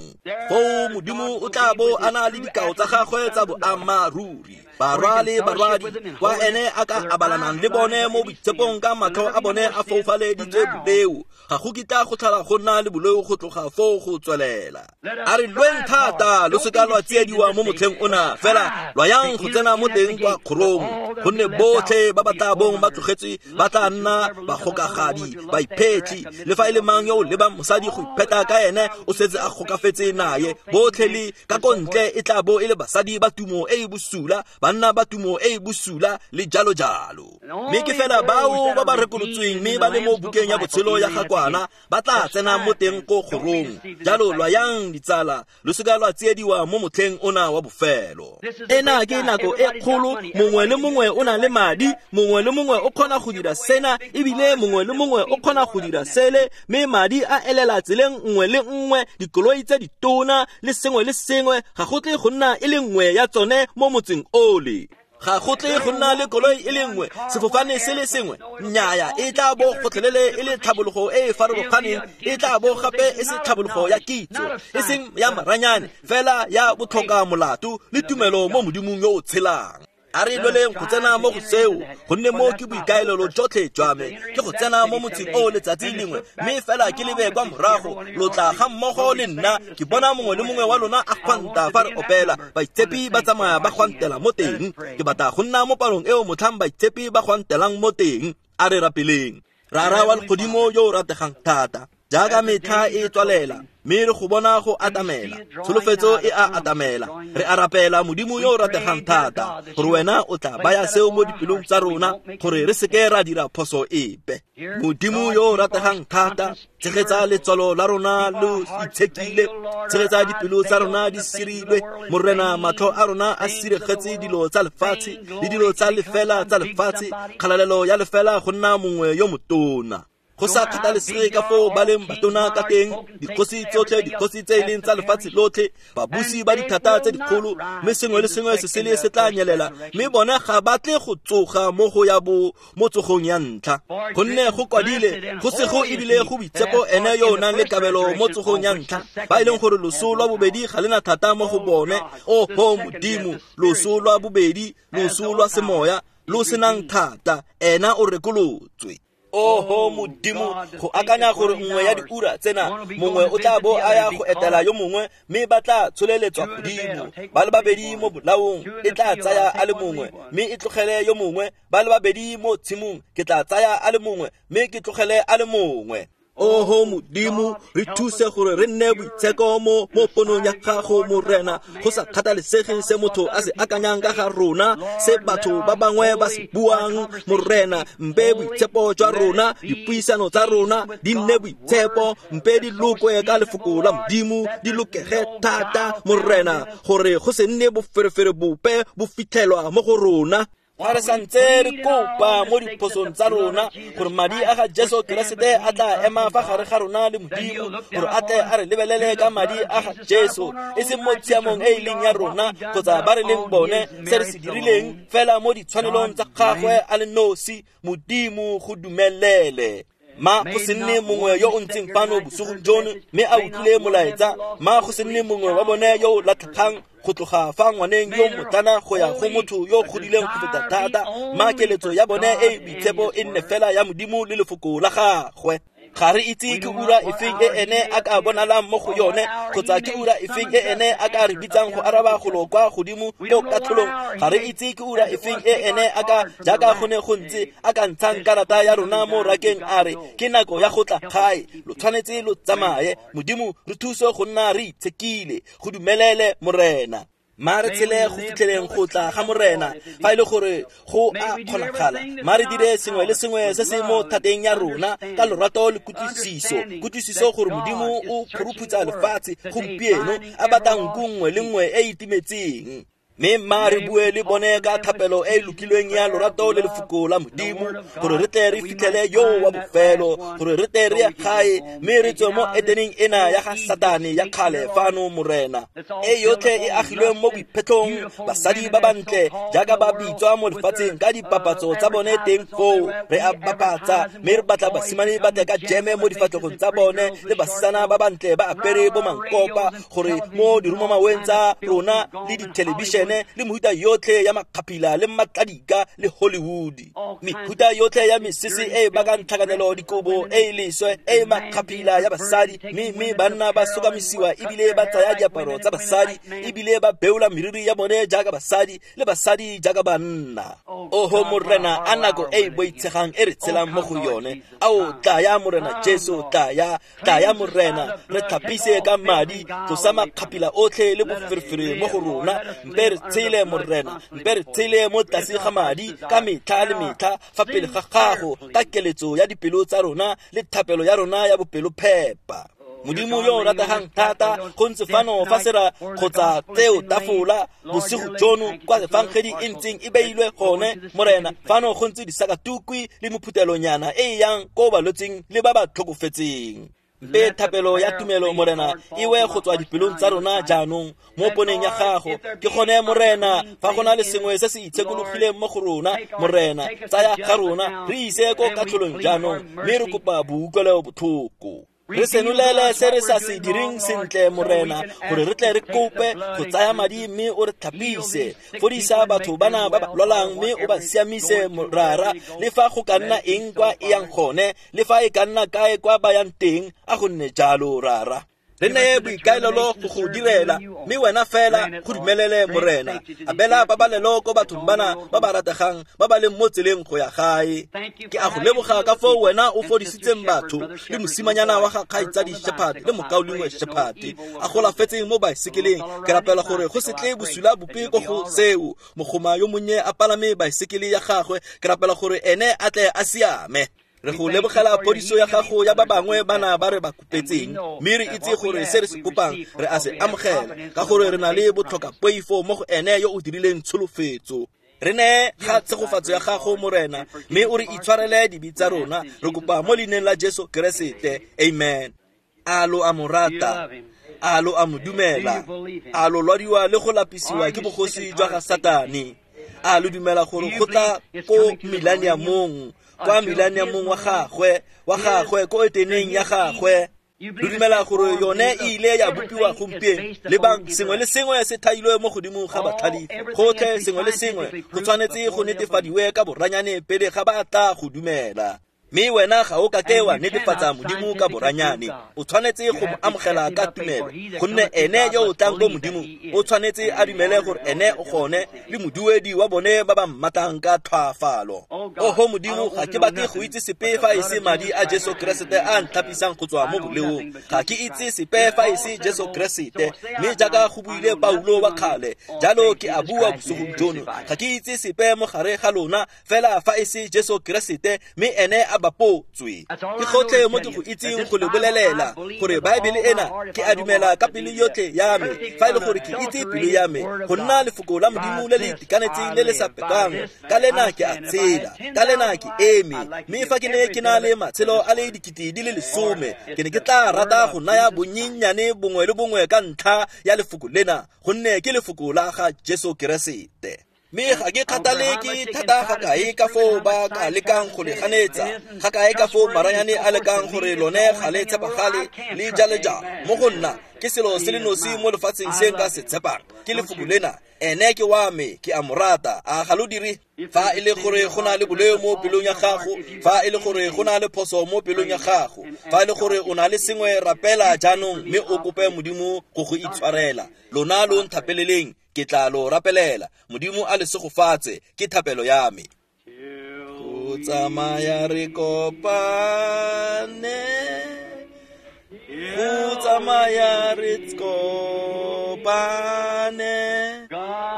Foo Modimo o tla bo a na le dikao tsa gagwe tsa boammaaruri, barwa le barwadi, kwa ene a ka abalanang le bone mo boitshepong ka matlho a bone a foufaleditswe boleo. Ga go kitla go tlhola go nna le boleo go tloga foo go tswelela. A re lweng thata, lo seka lwa tsiediwa mo motlheng ona, fela lwa yang go tsena mo teng kwa kgorong, gonne botlhe ba ba tla bong ba tlogetswe ba tla nna bagokagadi, baiphetlhi. Le fa e le mang yo o lebang mosadi go ipheta ka ene o setse a gokafetse naye. Botlhe le ka ko ntle e tla bo e le basadi ba tumo e e bosula, banna ba tumo e e bosula le jalo jalo. Mme ke fela bao ba ba rekolotsweng mme ba le mo bukeng ya botshelo ya ga Kwana ba tla tsena mo teng ko kgorong. Jalo lwa yang ditsala, lo seka lwa tsiediwa mo motlheng ona wa bofelo. Ena ke nako e kgolo, mongwe le mongwe o na le madi, mongwe le mongwe o kgona go dira sena, ebile mongwe le mongwe o kgona go dira sele, mme madi a elela tseleng nngwe le nngwe, dikoloi tse ditona le sengwe le sengwe, ga go tle go nna e le nngwe ya tsone mo motseng ole. Ga go tle go nna le koloi e le nngwe, sefofane se le sengwe. Nnyaya, e tla bo gotlhelele e le tlhabologo e e farologaneng, e tla bo gape e se tlhabologo ya kitso, e seng ya maranyane, fela ya botlhoka molato le tumelo mo Modimong yo o tshelang. A re lweleng go tsena mo go seo, gonne mo ke boikaelelo jotlhe jwa me, ke go tsena mo motseng o letsatsi lengwe, mme fela ke lebe kwa morago, lo tla ga mmogo le nna. Ke bona mongwe le mongwe wa lona a gwanta fa re opela, baitshepi ba tsamaya ba gwantela mo teng. Ke batla go nna mo palong eo motlhang baitshepi ba gwantelang mo teng. A re rapeleng. Rara wa legodimo yo o rategang thata, jaaka metlha e tswalela, mme re go bona go atamela, tsholofetso e a atamela. Re a rapela Modimo yo o rategang thata, gore wena o tla baya seo mo dipelong tsa rona, gore re seke ra dira phoso epe. Modimo yo o rategang thata, tshegetsa letswalo la rona lo itshekile, tshegetsa dipelo tsa rona di sirilwe. Morena, matlho a rona a siregetse dilo tsa lefatshe le dilo tsa lefela tsa lefatshe, kgalalelo ya lefela go nna mongwe yo motona. Go sa kgathalesege ka foo ba leng batona ka teng, dikgosi tsotlhe, dikgosi tse e leng tsa lefatshe lotlhe, babusi ba dithata tse dikgolo, mme sengwe le sengwe se sele se tla nyelela, mme bone ga ba tle go tsoga mo go ya bo mo tsogong ya ntlha. Gonne go kwadile, go sego ebile go boitshepo ene yo o nang le kabelo mo tsogong ya ntlha, ba e leng gore loso lwa bobedi ga lena thata mo go bone. Oho Modimo, loso lwa bobedi, loso lwa semoya, lo senang thata, ena o rekolotswe. Oho Modimo, go akanya gore nngwe ya diura tsena mongwe o tla bo a ya go etela yo mongwe, mme ba tla tsholeletswa godimo. Ba le babedi mo bolaong, e tla tsaya a le mongwe, mme e tlogele yo mongwe. Ba le babedi mo tshimong, ke tla tsaya a le mongwe, mme ke tlogele a le mongwe. Oho Modimo, re thuse gore re nne boitsheko mo mo ponong ya gago Morena, go sa kgathalesege se motho a se akanyang ka ga rona, se batho ba bangwe ba se buang Morena. Mpe boitshepo jwa rona, dipuisano tsa rona di nne boitshepo, mpe di lokwe ka lefoko la Modimo, di lokege thata Morena, gore go se nne boferefere bope bo fitlhelwa mo go rona. Fa re santse re kopa mo diphosong tsa rona gore madi a ga Jesu Keresete a tla ema fa gare ga rona le Modimo, gore a tle a re lebelele ka madi a ga Jesu, e seng mo tshiamong e e leng ya rona kgotsa ba re leng bone, se re se dirileng fela mo ditshwanelong tsa gagwe a le nosi. Modimo go dumelele. Ma go se nne mongwe yo o ntseng fano bosigong jono mme a utlwile molaetsa, ma go se nne mongwe wa bone yo o latlhegang go tloga fa ngwaneng yo motlana go ya go motho yo godileng go feta thata. Ma keletso ya bone e e boitshepo e nne fela ya Modimo le lefoko la gagwe. Ga re itse ke ura efeng e ene a ka bonalang mo go yone, kgotsa ke ura efeng e ene a ka re bitsang go araba golo kwa godimo ko katlholong. Ga re itse ke ura efeng e ene a ka, jaaka go ne go ntse, a ka ntshang karata ya rona mo rakeng a re ke nako ya go tla gae, lo tshwanetse lo tsamaye. Modimo re thuse go nna re itshekile, go dumelele Morena. Ma re tshele go fitlheleng go tla ga Morena, fa e le gore go a kgonagala. Ma re dire sengwe le sengwe se se mo thateng ya rona ka lorato le kutlwisiso, kutlwisiso gore Modimo o phuruphutsa lefatshe gompieno, a batla nku nngwe le nngwe e e itimetseng. Mme mma re bue le bone ka thapelo e e lokilweng ya lorato le lefoko la Modimo, gore re tle re fitlhele yo wa bofelo, gore re tle re ye gae mme re tswe mo Edeneng ena ya ga Satane ya kgale fano Morena, e yotlhe e agilweng mo boiphetlhong, basadi ba bantle jaaka ba bitswa mo lefatsheng ka dipapatso tsa bone teng foo. Re a bapatsa mme re batla basimane ba tle ka jeme mo difatlhegong tsa bone, le basetsana ba bantle ba apere bo mankopa, gore mo dirumamaweng tsa rona le dithelebišene le mehuta yotlhe ya makgaphila le matladika le Hollywood, mehuta yotlhe ya mesese e e bakang tlhakanelo dikobo e e leswe e e makgaphila ya basadi, mme mme banna ba sokamisiwa ebile ba tsaya diaparo tsa basadi, ebile ba beola meriri ya bone jaaka basadi le basadi jaaka banna. Oho Morena, a nako e e boitshegang e re tshelang mo go yone. Ao tlaya Morena Jesu, tlaya, tlaya Morena, re tlhapise ka madi, tlosa makgaphila otlhe le boferefere mo go rona. Mpe re tshele Morena, mpe re tshele mo tlase ga madi ka metlha le metlha fa pele ga gago, ka keletso ya dipelo tsa rona le thapelo ya rona ya bopelophepa. Modimo yo o rategang thata, go ntse fano fa sera kgotsa tseo tafola bosigo jono kwa efangedi e ntseng e beilwe gone Morena. Fano go ntse disakatukwi le mophutelonyana e e yang ko balwetseng le ba ba tlhokofetseng. Mpe thapelo ya tumelo Morena e we go tswa dipelong tsa rona jaanong mo poneng ya gago. Ke gone Morena, fa go na le sengwe se se itshekologileng mo go rona Morena, tsaya ga rona re ise ko katlholong jaanong, mme re kopa boutlwelo botlhoko. Re senolele se re sa se direng sentle Morena, gore re tle re kope go tsaya madi mme o re tlhapise. Fodisa batho bana ba ba lwalang mme o ba siamise Morara, le fa go ka nna eng kwa e yang gone, le fa e ka nna kae kwa ba yang teng, a go nne jalo Rara. Re neye boikaelelo go go direla, mme wena fela go dumelele Morena. Abela pabalelo ko bathong bana ba ba rategang ba ba leng mo tseleng go ya gae. Ke a go leboga ka foo wena o fodisitseng batho le mosimanyana wa ga kgaitsadi Shepherd le mokaulengwe Shepherd a golafetseng mo baesekeleng. Ke rapela gore go se tle bosula bope ko go seo, mogoma yo monnye a palame baesekele ya gagwe. Ke rapela gore ene a tle a siame. Re go lebogela phodiso ya gago ya ba bangwe bana ba re ba kopetseng, mme re itse gore se re se kopang re a se amogela, ka gore re na le botlhokapoifo mo go ene yo o dirileng tsholofetso. Re neye ga tshegofatso ya gago Morena, mme o re itshwarele dibe tsa rona. Re kopa mo leineng la Jesu Keresete, amen. A lo a mo rata, a lo a mo dumela, a lo lwadiwa le go lapisiwa ke bogosi jwa ga Satane, a lo dumela gore go tla ko millenniumong, kwa millenniumong wa gagwe, wa gagwe ko Edeneng ya gagwe. Lo dumela gore yone e ile ya bopiwa gompieno. Lebang, sengwe le sengwe se thailwe mo godimo ga batlhalefi. Gotlhe sengwe le sengwe go tshwanetse go netefadiwe ka boranyane pele ga ba tla go dumela. Mme wena ga o ka ke wa netefatsa Modimo ka boranyane. O tshwanetse go mo amogela ka tumelo, gonne ene yo o tlang ko Modimo o tshwanetse a dumele gore ene o gone le moduedi wa bone ba ba mmatang ka tlhwaafalo. Oho Modimo, ga ke batle go itse sepe fa e se madi a Jesu Keresete a ntlhapisang go tswa mo boleong. Ga ke itse sepe fa e se Jesu Keresete, mme jaaka go buile Paulo wa kgale, jalo ke a bua bosigong jono, ga ke itse sepe mo gare ga lona fela fa e se Jesu Keresete, mme ene a bapotswe. Ke gotlhe mo ke go itseng go le bolelela gore Baebele ena ke a dumela ka pelo yotlhe ya me, fa e le gore ke itse pelo ya me go nna lefoko la Modimo le le itekanetseng le le sa pekang. Ka lena ke a tshela, ka lena ke eme, mme fa ke ne ke na le matshelo a le dikete di le lesome, ke ne ke tla rata go naya bonyenyane bongwe le bongwe ka ntlha ya lefoko lena, gonne ke lefoko la ga Jesu Keresete. Mme ga ke kgathale ke thata ga kae ka foo ba ka lekang go le ganetsa, ga kae ka foo maranyane a lekang gore lone ga le tshepagale le jale-jalo. Mo go nna ke selo se le nosi mo lefatsheng se nka se tshepang, ke lefoko lena. Ene ke wa me, ke a mo rata. A ga lo dire? Fa e le gore go na le boleo mo pelong ya gago, fa e le gore go na le phoso mo pelong ya gago, fa e le gore o na le sengwe, rapela jaanong mme o kope Modimo go go itshwarela. Lona lo nthapeleleng, ke tla lo rapelela. Modimo a le segofatse, ke thapelo ya me. Go tsamaya re kopane, go tsamaya re kopane,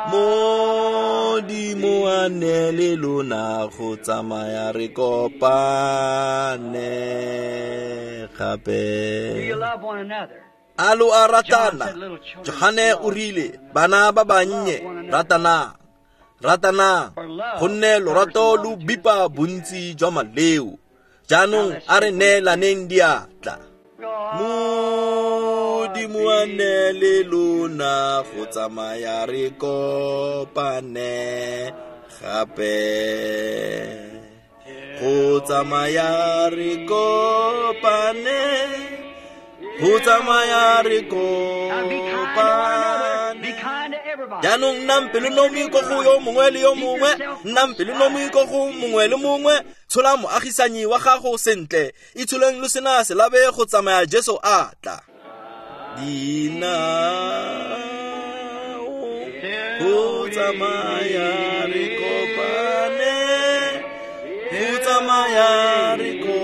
Modimo a nne le lona, go tsamaya re kopane gape. A lo a ratana? Johane o rile, bana ba bannye, ratanang, ratanang, gonne lorato lo bipa bontsi jwa maleo. Jaanong a re neelaneng diatla. Modimo a nne le lona, go tsamaya re kopane gape. Go tsamaya re kopane, go tsamaya re kopane. Jaanong nnang pelonomi ko go yo mongwe le yo mongwe, nnang pelonomi ko go mongwe le mongwe. Tshola moagisanyi wa gago sentle, itsholeng lo sena selabe go tsamaya Jesu a tla. Dinao go tsamaya re kopane, go tsamaya re kopane,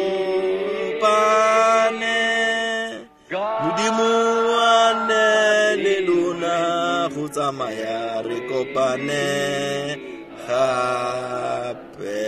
Modimo a nne le lona, go tsamaya re kopane gape.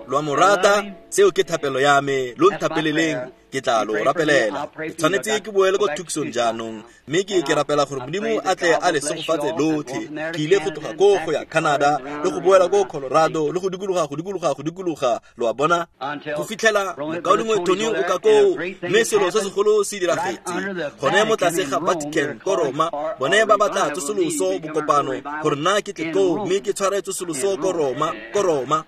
Lo a mo rata? Seo ke thapelo ya me, lo nthapeleleng, ke tla lo rapelela. Ke tshwanetse ke boele ko Tucson jaanong, mme ke ke rapela gore Modimo a tle a le segofatse lotlhe. Ke ile go tloga ko go ya Canada le go boela ko Colorado le go dikologa, go dikologa, go dikologa, lo a bona, go fitlhela mokaulengwe Tony o ka koo, mme selo se segolo se diragetse gone mo tlase ga Vatican ko Roma. Bone ba batla tsosoloso bokopano gore nna ke tle koo mme ke tshware tsosoloso ko Roma, ko Roma.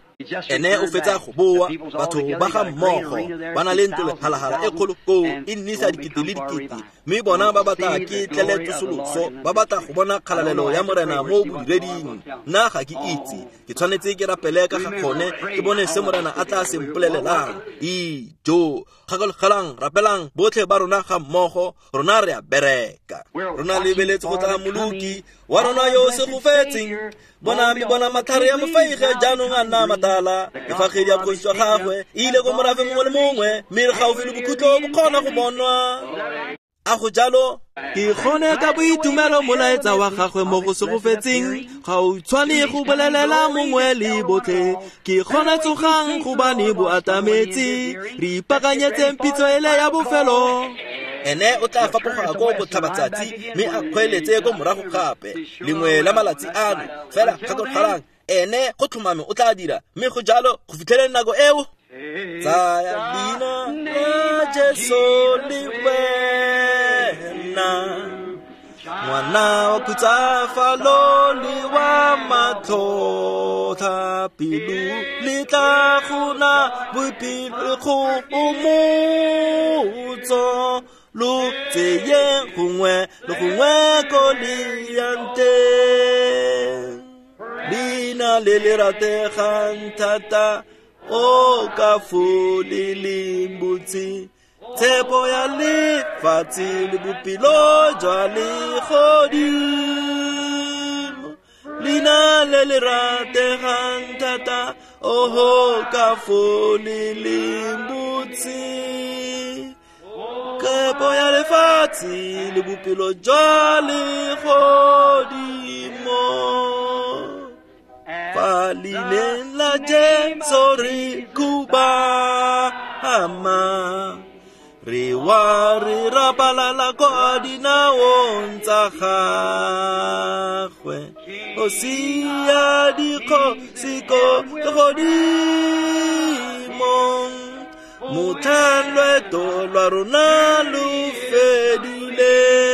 Ene o fetsa go boa, batho ba ga mmogo ba na le ntlo lephalahala e kgolo koo, e nnisa dikete le dikete, mme bona ba batla ke tlele tsosoloso, ba batla go bona kgalalelo ya Morena mo bodireding. Nna ga ke itse, ke tshwanetse ke rapele ka ga gone, ke bone se Morena a tla se mpolelelang. Ijo, gakologelang, rapelang botlhe ba rona ga mmogo, rona re a bereka. Rona lebeletse go tla Moloki wa rona yo o segofetseng. Bona mme bona matlhare ya mofeige jaanong a nna matala, efagedi ya bogosi jwa gagwe e ile ko morafe mongwe le mongwe, mme re gaufi le bokhutlo bo kgona go bonwa. A go jalo? Ke gone ka boitumelo molaetsa wa gagwe mo go segofetseng, ga o tshwane go bolelela mongwe le botlhe. Ke gone tsogang gobane bo atametse, re ipaakanyetseng pitso ele ya bofelo. Ene o tla fapoga ko botlhabatsatsi mme a kgweeletse ko morago gape lengwe la malatsi ano. Fela gakologelang, ene go tlhomame o tla dira, mme go jalo go fitlheleng nako eo. Tsaya leina la Jesu le wena, ngwana wa khutsafalo le wa matlhotlha pelo, le tla go na boipelo go omotso, lo tseye gongwe le gongwe ko le yang teng. Leina le le rategang thata, O ka fo le leng botse, tshepo ya lefatshe le bophelo jwa legodimo. Leina le le rategang thata, oho ka fo le leng botse, tshepo ya lefatshe le bophelo jwa legodimo. Fa leineng la Jesu re khubama, re wa re rapalala kwa dinaong tsa gagwe. Kgosi ya dikgosi ko legodimong, motlhang loeto lwa rona lo fedileng.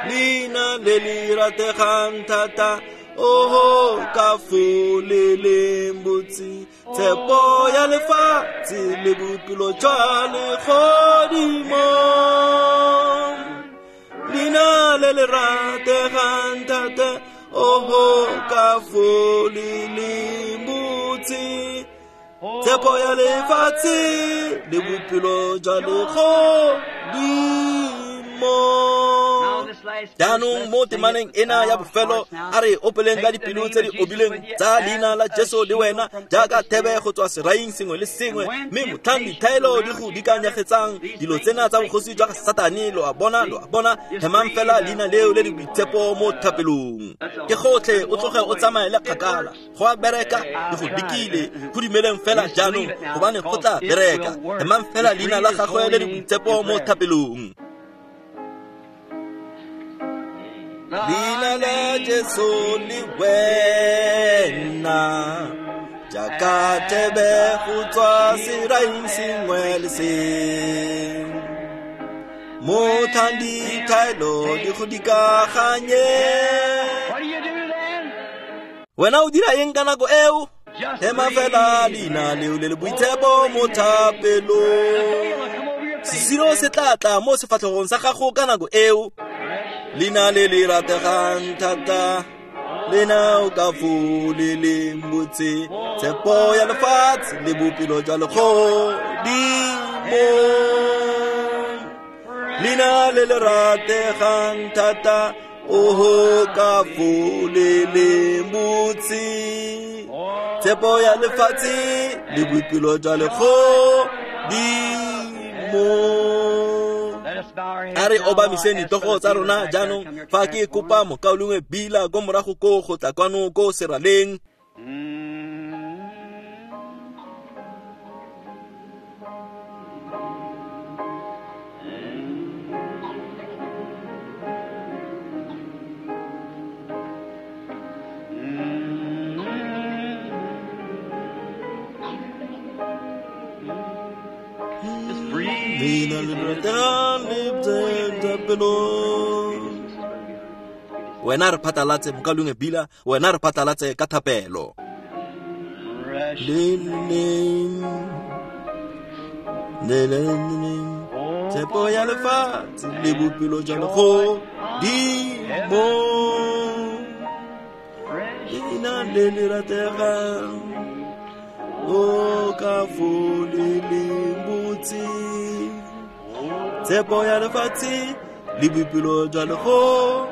Leina le le rategang thata, oho ka fo le leng botse, tshepo ya lefatshe le bophelo jwa legodimo. Leina le le rategang thata, oho ka fo le leng botse, tshepo ya lefatshe le bophelo jwa legodimo. Jaanong mo temaneng ena ya bofelo, a re opeleng ka dipelo tse di obileng tsa leina la Jesu le wena, jaaka thebe go tswa seraing sengwe le sengwe. Mme motlhang dithaelo di go dikanyegetsang dilo tsena tsa bogosi jwa ga Satane, lo a bona, lo a bona, hemang fela leina leo le le boitshepo mo thapelong. Ke gotlhe, o tloge o tsamaele kgakala. Go a bereka, le go dikile, go dumeleng fela jaanong, gobane go tla bereka. Hemang fela leina la gagwe le le boitshepo mo thapelong. Leina la Jesu le wena, jaaka thebe go tswa seraing sengwe le sengwe. Motlhang dithaelo di go dikaganye, wena o dira eng ka nako eo? Hema fela leina leo le le boitshepo mo thapelong. Sesiro se tla tla mo sefatlhegong sa gago ka nako eo. Leina le le rategang thata, leina o ka fo le leng botse, tshepo ya lefatshe le bophelo jwa legodimo. Leina le le rategang thata, oho ka fo le leng botse, tshepo ya lefatshe le bophelo jwa legodimo. A re obamiseng ditlogo tsa rona jaanong fa ke kopa mokaulengwe Bila ko morago ko go tla kwano ko seraleng. Wena re phatlalatse mokaulengwe Bila, wena re phatlalatse ka thapelo. Tshepo ya lefatshe le bophelo jwa legodimo. Leina le le rategang, o ka fo le leng botse, tshepo ya lefatshe le bophelo jwa legodimo.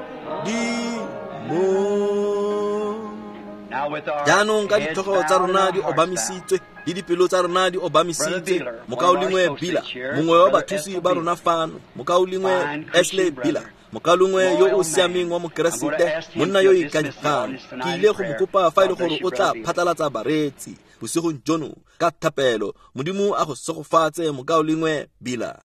Jaanong ka ditlhogo tsa rona di obamisitswe le dipelo tsa rona di obamisitswe, mokaulengwe Bila, mongwe wa bathusi ba rona fano, mokaulengwe Ashley Bila, mokaulengwe yo o siameng wa Mokeresete, monna yo o ikanyegang, ke ile go mo kopa fa e le gore o tla phatlalatsa bareetsi bosigong jono ka thapelo. Modimo a go segofatse mokaulengwe Bila.